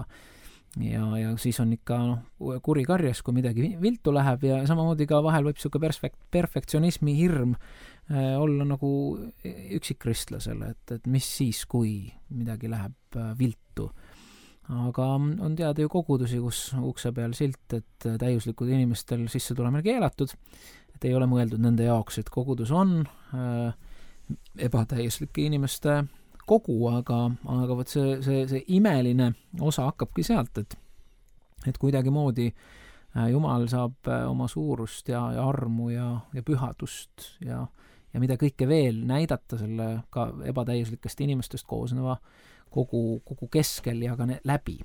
ja, ja siis on ikka noh, kuri karjas, kui midagi viltu läheb ja samamoodi ka vahel võib niisugune perfekt, perfektsionismi hirm äh, olla nagu üksikkristlasele, et, et mis siis, kui midagi läheb äh, viltu. Aga on teada ju kogudusi, kus ukse peal silt, et täiuslikud inimestel sisse tulemine keelatud, et ei ole mõeldud nende jaoks, et kogudus on äh, ebatäiuslike inimeste kogu, aga, aga võt see, see, see imeline osa hakkabki sealt, et, et kuidagimoodi äh, Jumal saab äh, oma suurust ja, ja armu ja, ja pühadust ja, ja mida kõike veel näidata selle ka ebatäiuslikest inimestest koosneva kogu, kogu keskel ja ka ne, läbi.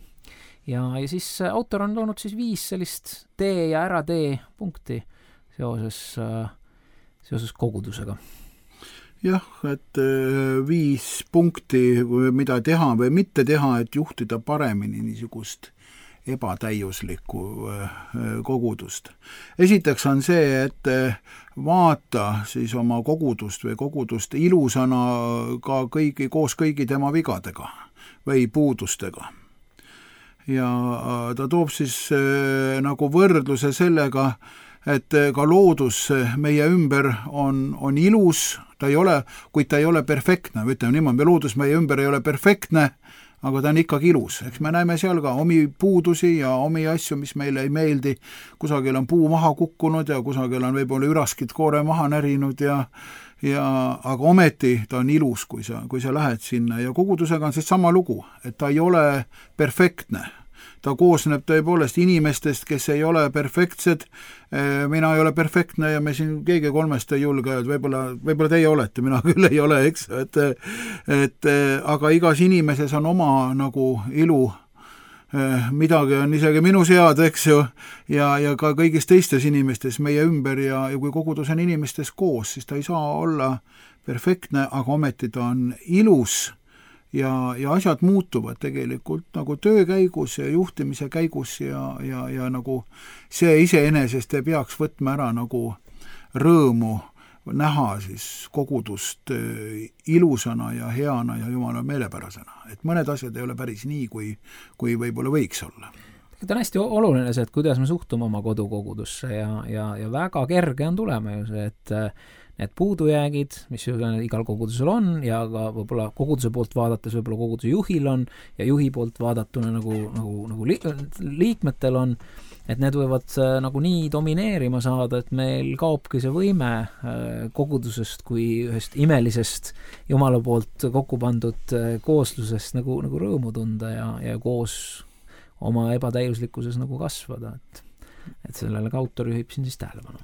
ja, ja siis autor on toonud siis viis sellist tee ja ära tee punkti seoses, seoses kogudusega. Jah, et viis punkti, mida teha või mitte teha, et juhtida paremini niisugust ebatäiuslikku kogudust. Esiteks on see, et vaata siis oma kogudust või kogudust ilusana ka kõigi, koos kõigi tema vigadega või puudustega. Ja ta toob siis nagu võrdluse sellega, et ka loodus meie ümber on, on ilus, ta ei ole, kuid ta ei ole perfektne, ütleme niimoodi, loodus meie ümber ei ole perfektne, aga ta on ikkagi ilus. Eks me näeme seal ka omi puudusi ja omi asju, mis meile ei meeldi. Kusagil on puu maha kukkunud ja kusagil on võib-olla üraskid koore maha närinud ja, ja aga ometi ta on ilus, kui sa, kui sa lähed sinna. Ja kogudusega on siis sama lugu, et ta ei ole perfektne. Ta koosneb tõepoolest inimestest, kes ei ole perfektsed, mina ei ole perfektne ja me siin keegi kolmest ei julge, et võib-olla, võib-olla teie olete, mina küll ei ole, eks, et, et aga igas inimeses on oma nagu ilu, midagi on isegi minu sead, eks ju, ja, ja ka kõigis teistes inimestes meie ümber ja, ja kui kogudus on inimestes koos, siis ta ei saa olla perfektne, aga ometi ta on ilus. Ja, ja asjad muutuvad tegelikult nagu töö käigus ja juhtimise käigus ja, ja, ja nagu see iseenesest ei peaks võtma ära nagu rõõmu näha siis kogudust ilusana ja heana ja jumala meelepärasena. Et mõned asjad ei ole päris nii, kui, kui võib-olla võiks olla. Ta on hästi oluline see, et kuidas me suhtume oma kodukogudusse ja, ja, ja väga kerge on tulema ju see, et need puudujäägid, mis igal kogudusel on ja ka võib-olla koguduse poolt vaadates võib-olla koguduse juhil on ja juhi poolt vaadatuna nagu, nagu, nagu li- liikmetel on, et need võivad nagu nii domineerima saada, et meil kaobki see võime kogudusest kui ühest imelisest Jumala poolt kokku pandud kooslusest nagu, nagu rõõmu tunda ja, ja koos oma ebatäiuslikkuses nagu kasvada, et et sellele ka autor juhib siin siis tähelepanu.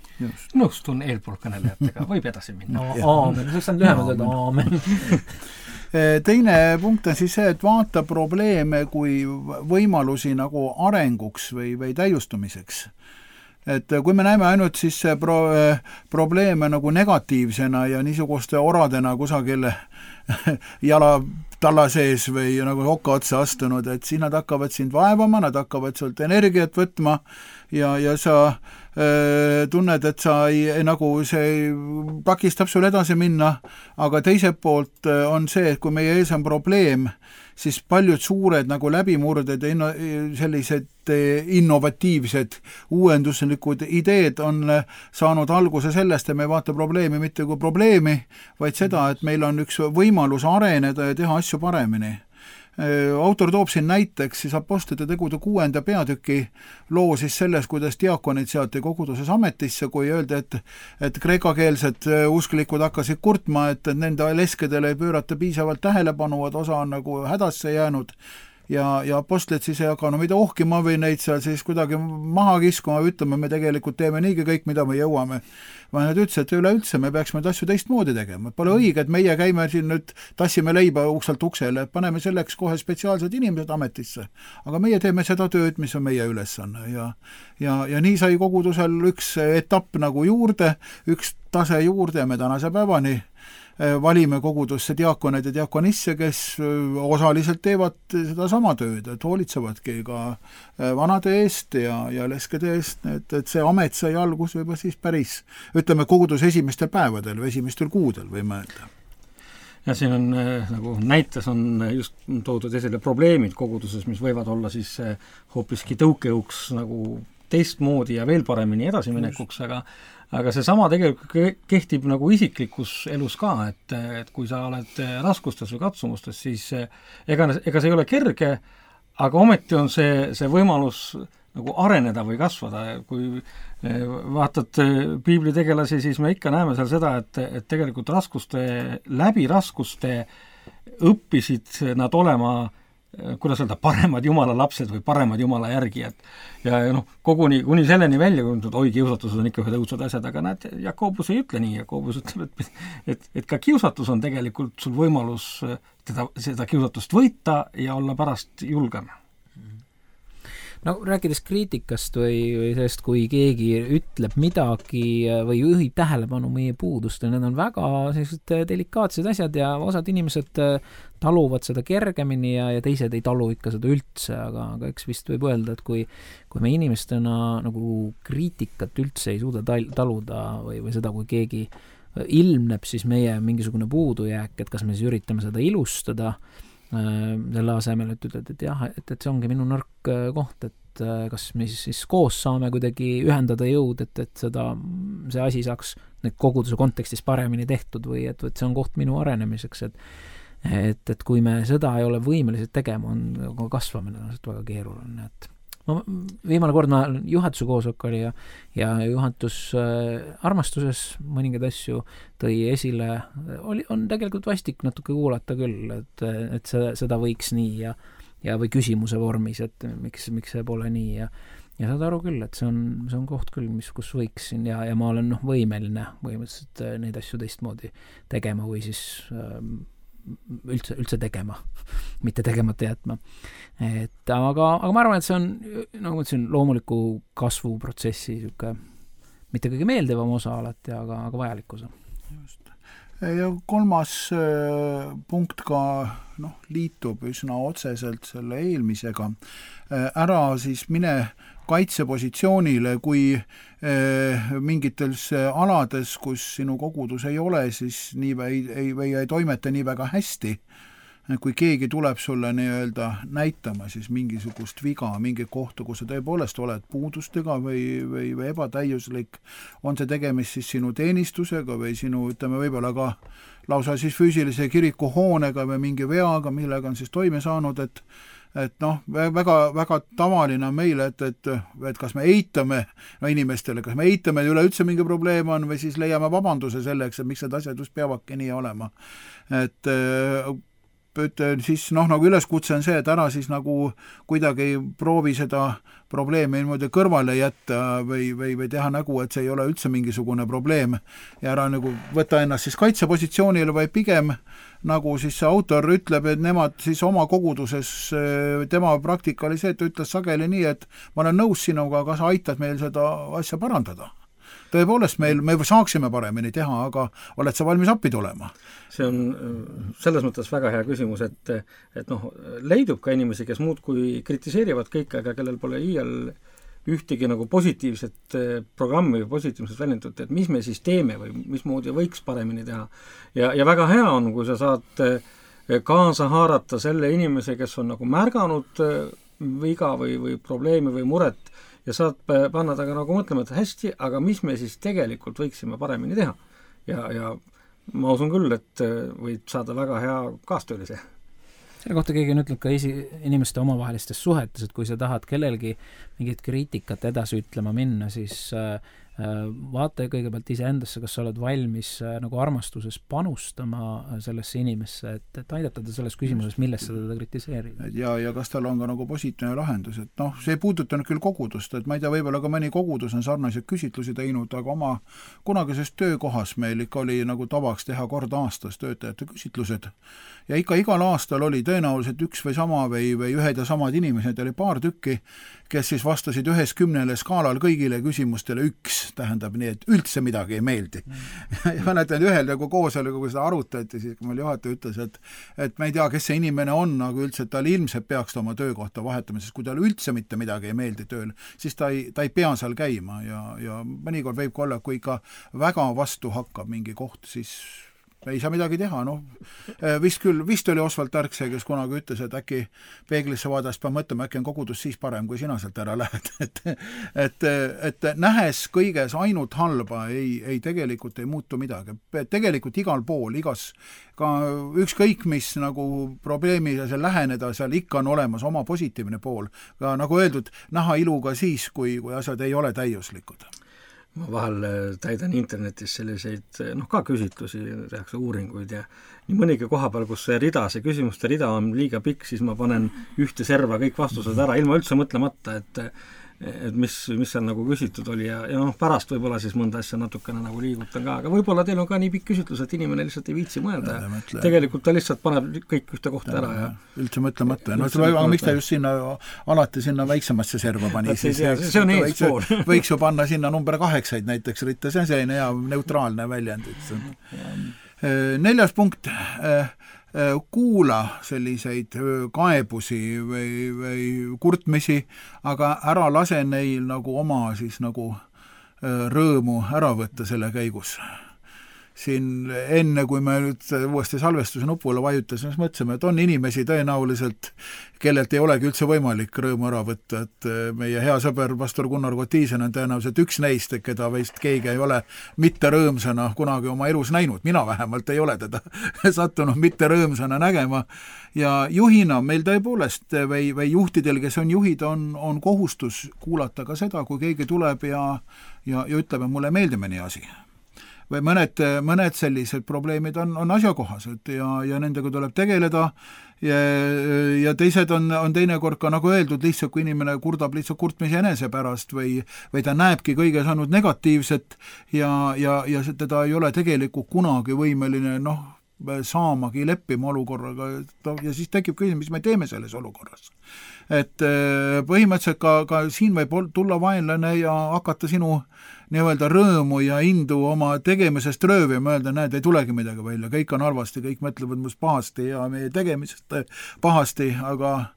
Nõustun eelpool kõnelejatega, võib edasi minna. No, aamen, see on lühemalt öelda aamen. Teine punkt on siis see, et vaata probleeme kui võimalusi nagu arenguks või, või täiustumiseks. Et kui me näeme ainult siis pro, probleeme nagu negatiivsena ja niisuguste oradena kusagil jala talla sees või nagu hokka otsa astunud, et siis nad hakkavad sind vaevama, nad hakkavad sult energiat võtma ja, ja sa äh, tunned, et sa ei, nagu see takistab sul edasi minna, aga teiselt poolt on see, et kui meie ees on probleem, siis paljud suured nagu läbimurded ja inno, sellised innovatiivsed, uuenduslikud ideed on saanud alguse sellest, et me ei vaata probleemi mitte kui probleemi, vaid seda, et meil on üks võimalus areneda ja teha asju paremini. Autor toob siin näiteks siis apostlite tegude kuuenda peatüki loo siis selles, kuidas diakonid seati koguduses ametisse, kui öeldi, et, et kreekakeelsed usklikud hakkasid kurtma, et nende leskedele ei pöörata piisavalt tähelepanu, et osa on nagu hädasse jäänud ja, ja apostlid siis ei hakka no mida ohkima või neid seal siis kuidagi maha kiskuma, ütleme, me tegelikult teeme niigi kõik, mida me jõuame. Ma nüüd ütles, et üleüldse me peaksime asju teistmoodi tegema. Pole õige, et meie käime siin nüüd, tassime leiba ukselt uksele, et paneme selleks kohe spetsiaalsed inimesed ametisse. Aga meie teeme seda tööd, mis on meie ülesanne. Ja, ja, ja nii sai kogudusel üks etapp nagu juurde, üks tase juurde ja me tänase päevani valime kogudusse diakoneid ja diakonisse, kes osaliselt teevad seda sama tööd, et hoolitsevadki ka vanade eest ja, ja leskede eest, et, et see amet sai algus juba siis päris, ütleme, koguduse esimestel päevadel või esimestel kuudel võime öelda. Ja siin on nagu näites on just toodud esile probleemid koguduses, mis võivad olla siis hoopiski tõukejõuks nagu teistmoodi ja veel paremini edasiminekuks, aga aga see sama tegelikult kehtib nagu isiklikus elus ka, et, et kui sa oled raskustes või katsumustes, siis ega, ega see ei ole kerge, aga ometi on see, see võimalus nagu areneda või kasvada. Kui vaatad piibli tegelasi, siis me ikka näeme seal seda, et, et tegelikult raskuste, läbi raskuste õppisid nad olema kuidas öelda, paremad jumala lapsed või paremad jumala järgijad. Ja noh, koguni kuni selleni välja, kui oi, kiusatused on ikka ühed õudsad asjad, aga näed, Jakobus ei ütle nii, Jakobus ütleb, et, et, et ka kiusatus on tegelikult sul võimalus teda, seda kiusatust võita ja olla pärast julgem. no rääkides kriitikast või, või sellest, kui keegi ütleb midagi või juhib tähelepanu meie puudustele, need on väga sellised delikaatsed asjad ja osad inimesed taluvad seda kergemini ja, ja teised ei talu ikka seda üldse, aga, aga eks vist võib öelda, et kui, kui me inimestena nagu kriitikat üldse ei suuda tal- taluda või, või seda, kui keegi ilmneb siis meie mingisugune puudujääk, et kas me siis üritame seda ilustada selle asemel, et ütled, et jah, et, et see ongi minu nõrk koht, et kas me siis, siis koos saame kuidagi ühendada jõud, et, et seda, see asi saaks need koguduse kontekstis paremini tehtud või et, et see on koht minu arenemiseks, et et, et kui me seda ei ole võimelised tegema, on kasvamine väga keeruline, et ma, viimane kord ma juhatuse koosolek oli ja, ja juhatus äh, armastuses mõningaid asju tõi esile, oli, on tegelikult vastik natuke kuulata küll, et, et see, seda võiks nii ja, ja või küsimuse vormis, et miks, miks see pole nii ja ja saad aru küll, et see on, see on koht küll, mis, kus võiksin ja, ja ma olen noh, võimeline põhimõtteliselt neid asju teistmoodi tegema või siis äh, üldse, üldse tegema, mitte tegemata jätma. Et aga, aga ma arvan, et see on, nagu ma ütlesin, loomuliku kasvuprotsessi siuke, mitte kõige meeldivam osa alati, aga, aga vajalik osa. Just. Ja kolmas äh, punkt ka noh, liitub üsna otseselt selle eelmisega. Äh, ära siis mine kaitsepositsioonile, kui eh, mingites alades, kus sinu kogudus ei ole, siis nii või ei, või ei toimeta nii väga hästi. Kui keegi tuleb sulle nii-öelda näitama siis mingisugust viga, mingi kohta, kus sa tõepoolest oled puudustega või, või, või ebatäiuslik, on see tegemist siis sinu teenistusega või sinu, ütleme, võib-olla ka lausa siis füüsilise kirikuhoonega või mingi veaga, millega on siis toime saanud, et et noh, väga, väga tavaline on meile, et, et, et kas me eitame no inimestele, kas me eitame, et üleüldse mingi probleem on või siis leiame vabanduse selleks, et miks need asjad just peavadki nii olema. Et, et siis noh, nagu üleskutse on see, et ära siis nagu kuidagi proovi seda probleemi niimoodi kõrvale jätta või, või, või teha nägu, et see ei ole üldse mingisugune probleem ja ära nagu võtta ennast siis kaitsepositsioonile, vaid pigem nagu siis see autor ütleb, et nemad siis oma koguduses, tema praktika oli see, et ta ütles sageli nii, et ma olen nõus sinuga, aga sa aitad meil seda asja parandada. Tõepoolest, meil, me saaksime paremini teha, aga oled sa valmis appi tulema? See on selles mõttes väga hea küsimus, et, et noh, leidub ka inimesi, kes muud kui kritiseerivad kõike, aga kellel pole iial ühtegi nagu positiivset programmi või positiivset väljendut, et mis me siis teeme või mismoodi võiks paremini teha. Ja, ja väga hea on, kui sa saad kaasa haarata selle inimese, kes on nagu märganud viga või, või probleemi või muret ja saad panna taga nagu mõtlema, et hästi, aga mis me siis tegelikult võiksime paremini teha. Ja, ja ma usun küll, et võid saada väga hea kaastöölise. Selle kohta keegi on ütleb ka esi, inimeste omavahelistes suhetes, et kui sa tahad kellelgi mingit kriitikat edasi ütlema minna, siis äh, vaata kõigepealt iseendasse, kas sa oled valmis äh, nagu armastuses panustama sellesse inimesse, et, et aidata ta selles küsimuses, millest sa teda kritiseerida. Ja, ja kas tal on ka nagu positiivne lahendus, et noh, see ei puuduta küll kogudust, et ma ei tea, võib-olla ka mõni kogudus on sarnaseid küsitlusi teinud, aga oma kunagises töökohas meil ikka oli nagu tavaks teha kord aastas töötajate küsitlused ja ikka igal aastal oli tõenäoliselt üks või sama või, või ühed ja samad inimesed, oli paar tükki, kes siis vastasid ühes kümnele skaalal kõigile küsimustele üks, tähendab nii, et üldse midagi ei meeldi. Mm. ja mäletan ühel nagu koosolekul, kui seda arutati, siis kui meil juhataja ütles, et, et ma ei tea, kes see inimene on, aga üldse, et tal ilmselt peaks ta oma töökohta vahetama, sest kui tal üldse mitte midagi ei meeldi tööl, siis ta ei, ta ei pea seal käima ja, ja mõnikord võib ka olla, kui ikka väga vastu hakkab mingi koht, siis ei saa midagi teha, noh, vist küll, vist oli Osvald Tark see, kes kunagi ütles, et äkki peeglisse vaadast peab mõtlema, äkki on kogudus siis parem, kui sina sealt ära lähed, et, et, et nähes kõiges ainult halba, ei, ei tegelikult ei muutu midagi. Tegelikult igal pool, igas, ka ükskõik mis nagu probleemi seal läheneda, seal ikka on olemas oma positiivne pool. Ka nagu öeldud, näha ilu ka siis, kui, kui asjad ei ole täiuslikud. Ma vahel täidan internetis selliseid, noh ka küsitlusi, tehakse uuringuid ja nii mõnigi koha peal, kus see rida, see küsimuste rida on liiga pikk, siis ma panen ühte serva kõik vastused ära, ilma üldse mõtlemata, et et mis, mis seal nagu küsitud oli ja, ja noh, pärast võib-olla siis mõnda asja natukene nagu liigutan ka, aga võib-olla teil on ka nii pikk küsitlus, et inimene lihtsalt ei viitsi mõelda ja, ja tegelikult ta lihtsalt paneb kõik ühte kohta ja, ära ja üldse mõtlemata. No, aga miks ta just sinna, alati sinna väiksemasse serva pani? See, see, see, see on eespool. Võiks, võiks ju panna sinna number kaheksaid näiteks ritta, see on selline hea neutraalne väljend. Neljas punkt, kuula selliseid kaebusi või, või kurtmisi, aga ära lase neil nagu oma siis nagu rõõmu ära võtta selle käigus. Siin enne, kui me nüüd uuesti salvestuse nupule vajutasime, siis mõtlesime, et on inimesi tõenäoliselt, kellelt ei olegi üldse võimalik rõõmu ära võtta, et meie hea sõber pastor Gunnar Kotiisen on tõenäoliselt üks neist, keda veist keegi ei ole mitte rõõmsana kunagi oma elus näinud, mina vähemalt ei ole teda sattunud mitte rõõmsana nägema ja juhina meil tõepoolest või, või juhtidel, kes on juhid, on, on kohustus kuulata ka seda, kui keegi tuleb ja, ja, ja ütleb, et mulle meeldib mõni asi. Või mõned, mõned sellised probleemid on, on asjakohased ja, ja nendega tuleb tegeleda ja, ja teised on, on teinekord ka nagu öeldud lihtsalt, kui inimene kurdab lihtsalt kurtmise enese pärast või, või ta näebki kõiges ainult negatiivset ja, ja, ja teda ei ole tegelikult kunagi võimeline noh, saamagi leppima olukorraga ja siis tekib küsimus, mis me teeme selles olukorras. Et põhimõtteliselt ka, ka siin võib tulla vaenlane ja hakata sinu nii-öelda rõõmu ja indu oma tegemisest röövima, öelda, näed, ei tulegi midagi välja, kõik on halvasti, kõik mõtlevad must pahasti ja meie tegemisest pahasti, aga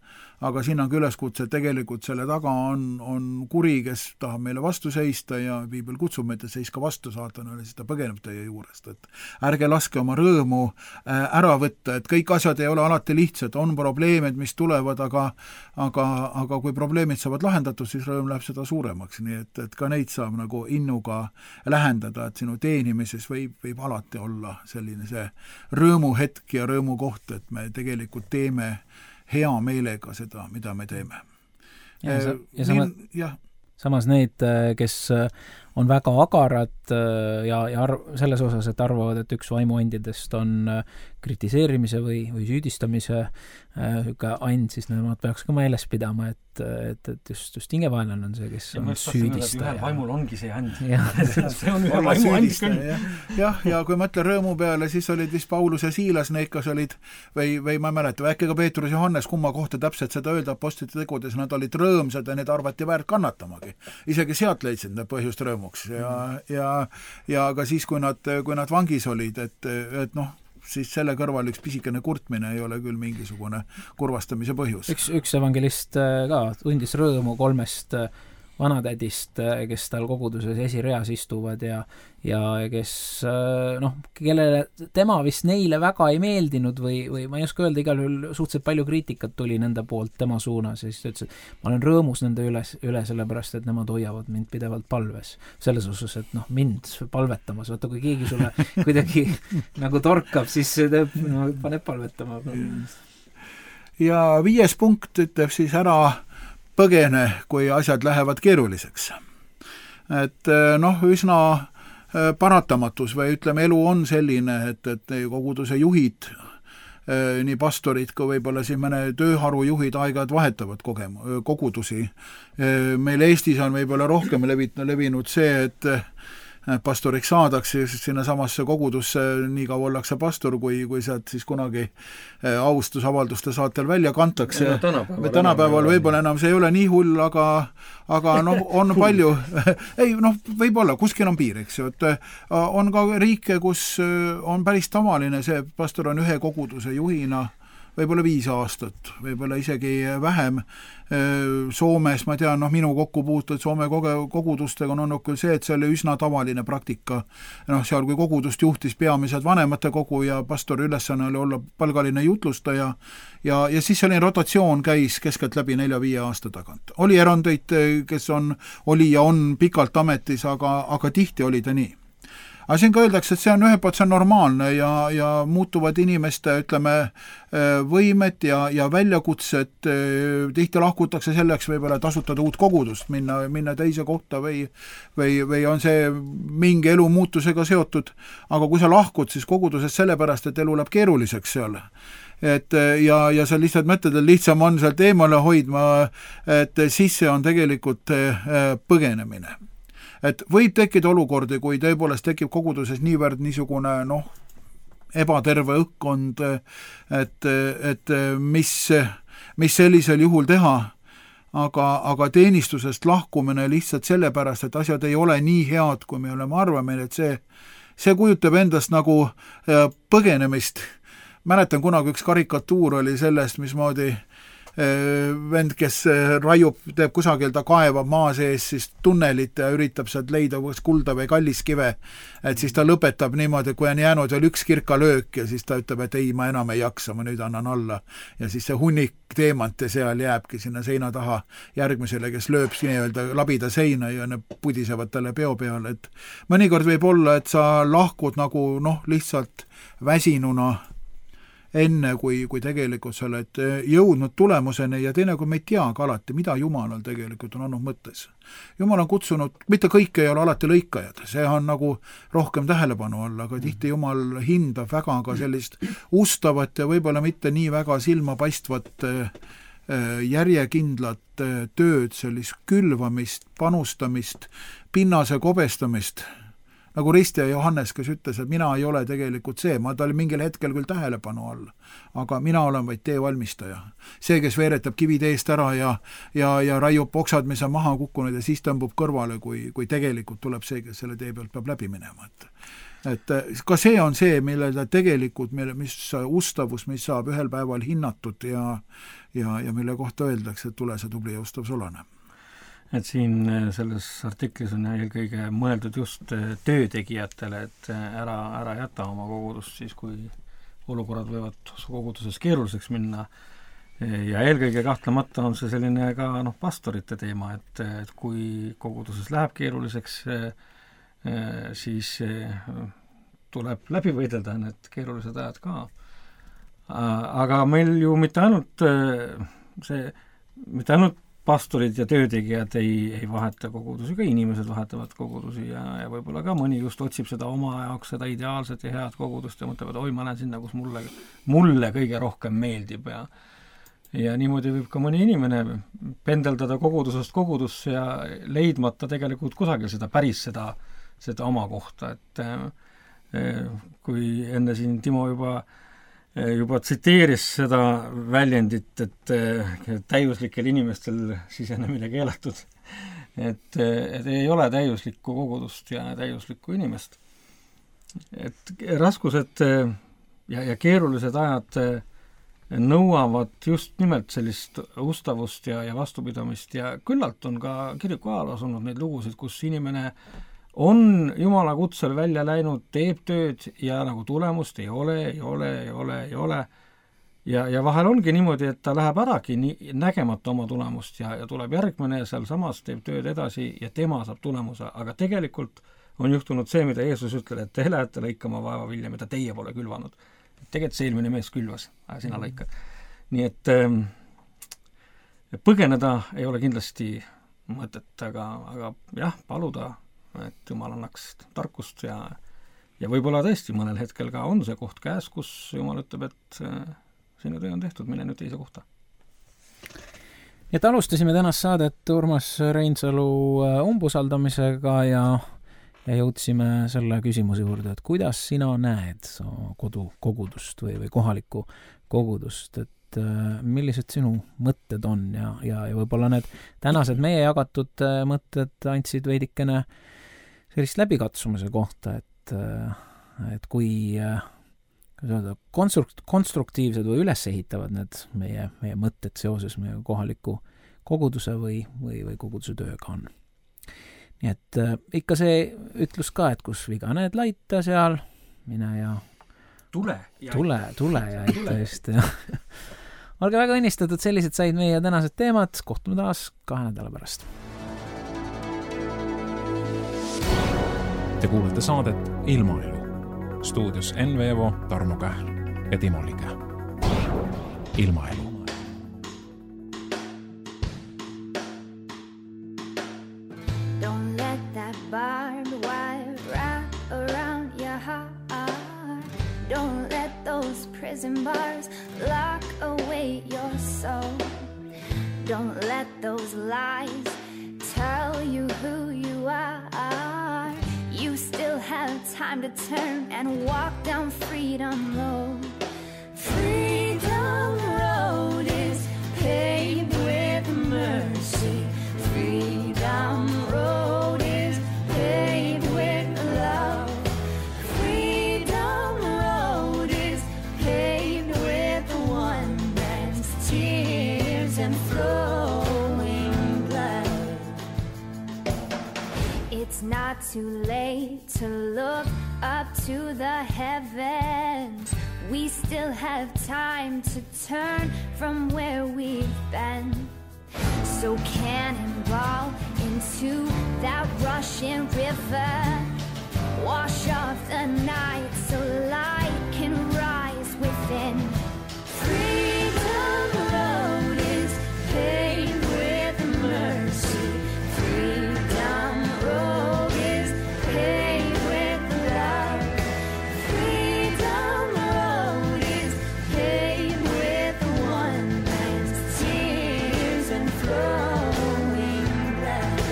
aga siin on ka üleskutse, et tegelikult selle taga on, on kuri, kes tahab meile vastu seista ja Piibel kutsub meid, et seiska vastu saatanale, siis ta põgeneb teie juurest, et ärge laske oma rõõmu ära võtta, et kõik asjad ei ole alati lihtsad, on probleemid, mis tulevad, aga aga, aga kui probleemid saavad lahendatud, siis rõõm läheb seda suuremaks, nii et, et ka neid saab nagu innuga lähendada, et sinu teenimises võib, võib alati olla selline see rõõmuhetk ja rõõmukoht, et me tegelikult teeme hea meelega seda, mida me teeme. Ja, sa, ja sama, ja. Samas need, kes on väga agarad ja, ja arv, selles osas, et arvavad, et üks vaimuandidest on kritiseerimise või, või süüdistamise äh, and, siis nemad peaks ka meeles pidama, et, et, et just, just hingevaenlane on see, kes ja on süüdistaja. Ühel vaimul ongi see and. see on ühel vaimu and küll. Jah, ja kui mõtle rõõmu peale, siis olid vist Paulus ja Siilas, need kas olid, või, või ma ei mäleta, äkki ka Peetrus ja Johannes, kumma kohta täpselt seda öelda apostlite tegudes, nad olid rõõmsad ja need arvati väärt kannatamagi. Isegi sealt leidsid nad põhjust rõõmuks ja, ja, ja ka siis, kui nad, kui nad vangis olid, et, et noh, siis selle kõrval üks pisikene kurtmine ei ole küll mingisugune kurvastamise põhjus. Üks, üks evangelist ka tundis rõõmu kolmest vanatädist, kes tal koguduses esireas istuvad ja, ja kes, noh, kellele tema vist neile väga ei meeldinud või, või ma ei oska öelda, igal juhul suhteliselt palju kriitikat tuli nende poolt tema suunas ja siis ta ütles, et ma olen rõõmus nende üle, üle sellepärast, et nemad hoiavad mind pidevalt palves. Selles osas, et noh, mind palvetamas, vaata kui keegi sulle kuidagi nagu torkab, siis teeb, no, paneb palvetama. Ja viies punkt ütleb siis ära põgene, kui asjad lähevad keeruliseks. Et noh, üsna paratamatus või ütleme, elu on selline, et, et koguduse juhid, nii pastorid kui võib-olla siin mõne tööharu juhid aeg-ajad vahetavad kogemu, kogudusi. Meil Eestis on võib-olla rohkem levinud see, et pastoriks saadakse sinna samasse kogudusse, nii kaua ollakse pastor, kui, kui sealt siis kunagi austusavalduste saatel välja kantakse. Ja, tänapäeval, tänapäeval võib-olla enam see ei ole nii hull, aga, aga noh, on palju, ei noh, võib-olla, kuskil on piir, eks ju, et on ka riike, kus on päris tavaline see, pastor on ühe koguduse juhina, võib-olla viis aastat, võib-olla isegi vähem. Soomes, ma tean, noh, minu kokkupuutud Soome kogudustega on olnud küll see, et see oli üsna tavaline praktika. Noh, seal kui kogudust juhtis peamiselt vanemate kogu ja pastori ülesanne oli olla palgaline jutlustaja ja, ja siis selline rotatsioon käis keskelt läbi nelja-viie aasta tagant. Oli erandeid, kes on, oli ja on pikalt ametis, aga, aga tihti oli ta nii. Aga siin ka öeldakse, et see on ühe poolt, see on normaalne ja, ja muutuvad inimeste, ütleme, võimet ja, ja väljakutsed, tihti lahkutakse selleks võib-olla tasutada uut kogudust, minna, minna teise kohta või, või, või on see mingi elu muutusega seotud, aga kui sa lahkud, siis kogudusest sellepärast, et elu läheb keeruliseks seal, et ja, ja sa lihtsalt mõtled, et lihtsam on sealt eemale hoidma, et siis see on tegelikult põgenemine. Et võib tekkida olukordi, kui tõepoolest tekib koguduses niivõrd niisugune noh, ebaterve õhkkond, et, et mis, mis sellisel juhul teha, aga, aga teenistusest lahkumine lihtsalt sellepärast, et asjad ei ole nii head, kui me oleme arvame, et see, see kujutab endast nagu põgenemist. Mäletan kunagi üks karikatuur oli sellest, mismoodi vend, kes raiub, teeb kusagil, ta kaevab maa sees siis tunnelit ja üritab sealt leida kulda või kalliskive, et siis ta lõpetab niimoodi, kui on jäänud veel üks kirkalöök ja siis ta ütleb, et ei, ma enam ei jaksa, ma nüüd annan alla. Ja siis see hunnik teemante seal jääbki sinna seina taha järgmisele, kes lööb nii-öelda labida seina ja ne pudisevad talle peo peale, et mõnikord võib olla, et sa lahkud nagu noh, lihtsalt väsinuna enne, kui, kui tegelikult sa oled jõudnud tulemuseni ja teine, kui me ei tea ka alati, mida Jumalal tegelikult on olnud mõttes. Jumal on kutsunud, mitte kõik ei ole alati lõikajad, see on nagu rohkem tähelepanu all, aga tihti Jumal hindab väga ka sellist ustavat ja võib-olla mitte nii väga silmapaistvat järjekindlat tööd, sellist külvamist, panustamist, pinnase kobestamist, nagu Risti ja Johannes, kes ütles, et mina ei ole tegelikult see, ma ta oli mingil hetkel küll tähelepanu all, aga mina olen vaid tee valmistaja. See, kes veeretab kivid eest ära ja, ja, ja raiub oksad, mis on maha kukkunud ja siis tõmbub kõrvale, kui, kui tegelikult tuleb see, kes selle tee pealt peab läbi minema. Et, et ka see on see, mille ta tegelikult, mille, mis ustavus, mis saab ühel päeval hinnatud ja, ja, ja mille kohta öeldakse, et tule see tubli ja ustav solane. Et siin selles artiklis on eelkõige mõeldud just töötegijatele, et ära, ära jäta oma kogudust siis, kui olukorrad võivad koguduses keeruliseks minna. Ja eelkõige kahtlemata on see selline ka noh, pastorite teema, et, et kui koguduses läheb keeruliseks, siis tuleb läbi võidelda need keerulised ajad ka. Aga meil ju mitte ainult see, mitte ainult pastorid ja töötegijad ei, ei vaheta kogudusi, ka inimesed vahetavad kogudusi ja, ja võib-olla ka mõni just otsib seda oma jaoks, seda ideaalset ja head kogudust ja mõtleb, et oi, ma lähen sinna, kus mulle, mulle kõige rohkem meeldib ja ja niimoodi võib ka mõni inimene pendeldada kogudusest kogudusse ja leidmata tegelikult kusagil seda päris seda, seda oma kohta, et kui enne siin Timo juba juba tsiteeris seda väljendit, et täiuslikel inimestel sisenemine keelatud, et, et ei ole täiuslikku kogudust ja täiuslikku inimest. Et raskused ja, ja keerulised ajad nõuavad just nimelt sellist ustavust ja, ja vastupidamist ja küllalt on ka kiriku ajaloos olnud neid lugusid, kus inimene on Jumala kutsel välja läinud, teeb tööd ja nagu tulemust ei ole, ei ole, ei ole, ei ole. Ja, ja vahel ongi niimoodi, et ta läheb äragi nii, nägemata oma tulemust ja, ja tuleb järgmine ja seal samas teeb tööd edasi ja tema saab tulemuse, aga tegelikult on juhtunud see, mida Jeesus ütleb, et te lähete lõikama vaevavilja, mida teie pole külvanud. Tegelikult see eelmine mees külvas, aga sina lõikad. Nii et ähm, põgeneda ei ole kindlasti mõtet, aga, aga jah, paluda et Jumal annaks tarkust ja, ja võib-olla tõesti mõnel hetkel ka on see koht käes, kus Jumal ütleb, et sinu töö on tehtud, mine nüüd teise kohta. Et alustasime tänast saadet Urmas Reinsalu umbusaldamisega ja, ja jõudsime selle küsimuse juurde, et kuidas sina näed kodu kogudust või, või kohalikku kogudust, et millised sinu mõtted on ja, ja, ja võib-olla need tänased meie jagatud mõtted andsid veidikene sellist läbikatsumise kohta, et, et kui konstrukt, konstruktiivsed või üles ehitavad need meie, meie mõtted seoses meie kohaliku koguduse või, või, või koguduse tööga on. Nii et äh, ikka see ütlus ka, et kus viga need laita seal, mine ja tule, ja tule, tule ja ette just ja olge väga õnnistatud, sellised said meie tänased teemad, kohtume taas kahe nädala pärast. Te kuulete saadet Ilmaelu. Stuudios Enn Veevo, Tarmo Kähl ja Timo Liga. Ilmaelu. Don't let that barbed wire wrap around your heart. Don't let those prison bars lock away your soul. Don't let those lies tell you who you are. You still have time to turn and walk down Freedom Road. Freedom Road is paved with mercy. Freedom Road is paved with love. Freedom Road is paved with wonders, tears and flowing blood. It's not too late to look up to the heavens. We still have time to turn from where we've been. So cannonball into that rushing river. Wash off the night so light can rise within. Freedom Road is paved with mercy. Freedom Road is paved with love. Freedom Road is paved with wonders, tears and flowing blood.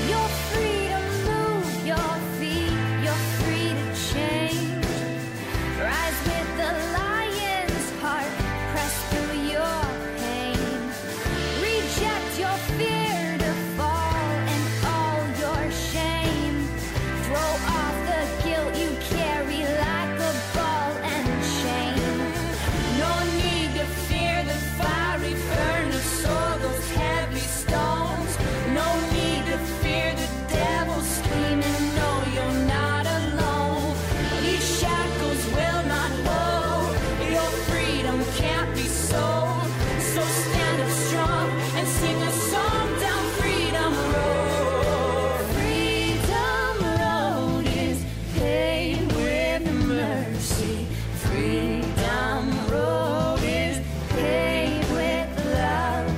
You're free to move your feet, you're free to change. Rise with the lion's heart, press through your pain. Reject your fear to fall and all your shame. Throw off the guilt you carry like a ball and chain. No need to fear the fiery furnace or those heavy stones. No need to fear the devil screaming, no, you're not alone. These shackles will not hold. Your freedom can't be sold. So stand up strong and sing a song down Freedom Road. Freedom Road is paved with mercy. Freedom Road is paved with love.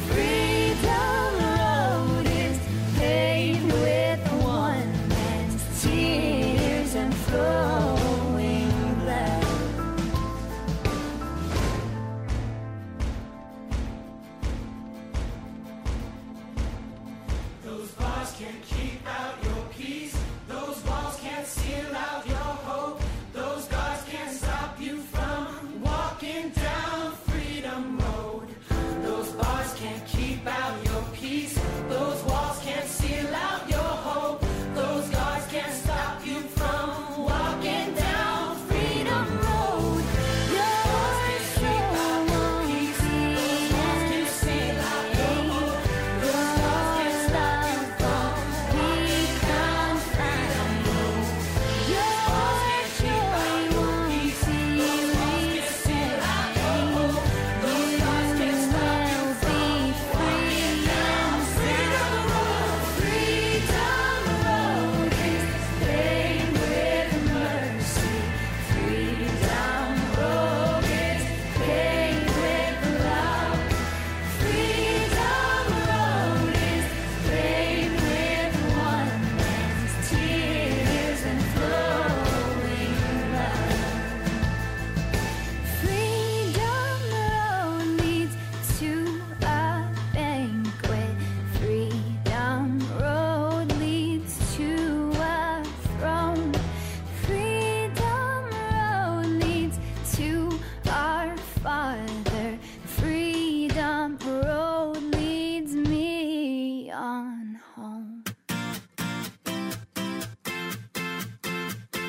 Freedom Road is paved with wonders, tears and flowing blood. Those bars can't keep out your peace. Those walls can't seal out your hope. Those guards can't stop you from walking down Freedom Road. Those bars can't keep out your peace. Those walls can't seal out your hope. Those guards can't stop you from walking down Freedom Road. You're so easy. Those walls can't seal out your hope. Those guards can't stop you from become Freedom Road. You're so easy. Those walls can't seal out your hope. Those guards can't stop you from walking down Freedom Road. Freedom Road is paved with mercy. Freedom Road is paved with love. Freedom Road is paved with wonders, tears and flowing blood. Freedom Road leads to a banquet. Freedom Road leads to a throne. Freedom Road leads to our Father. Freedom Road leads me on home.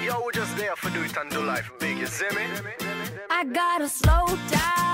Yo, we're just there for do it and do life big, you see me? I gotta slow down.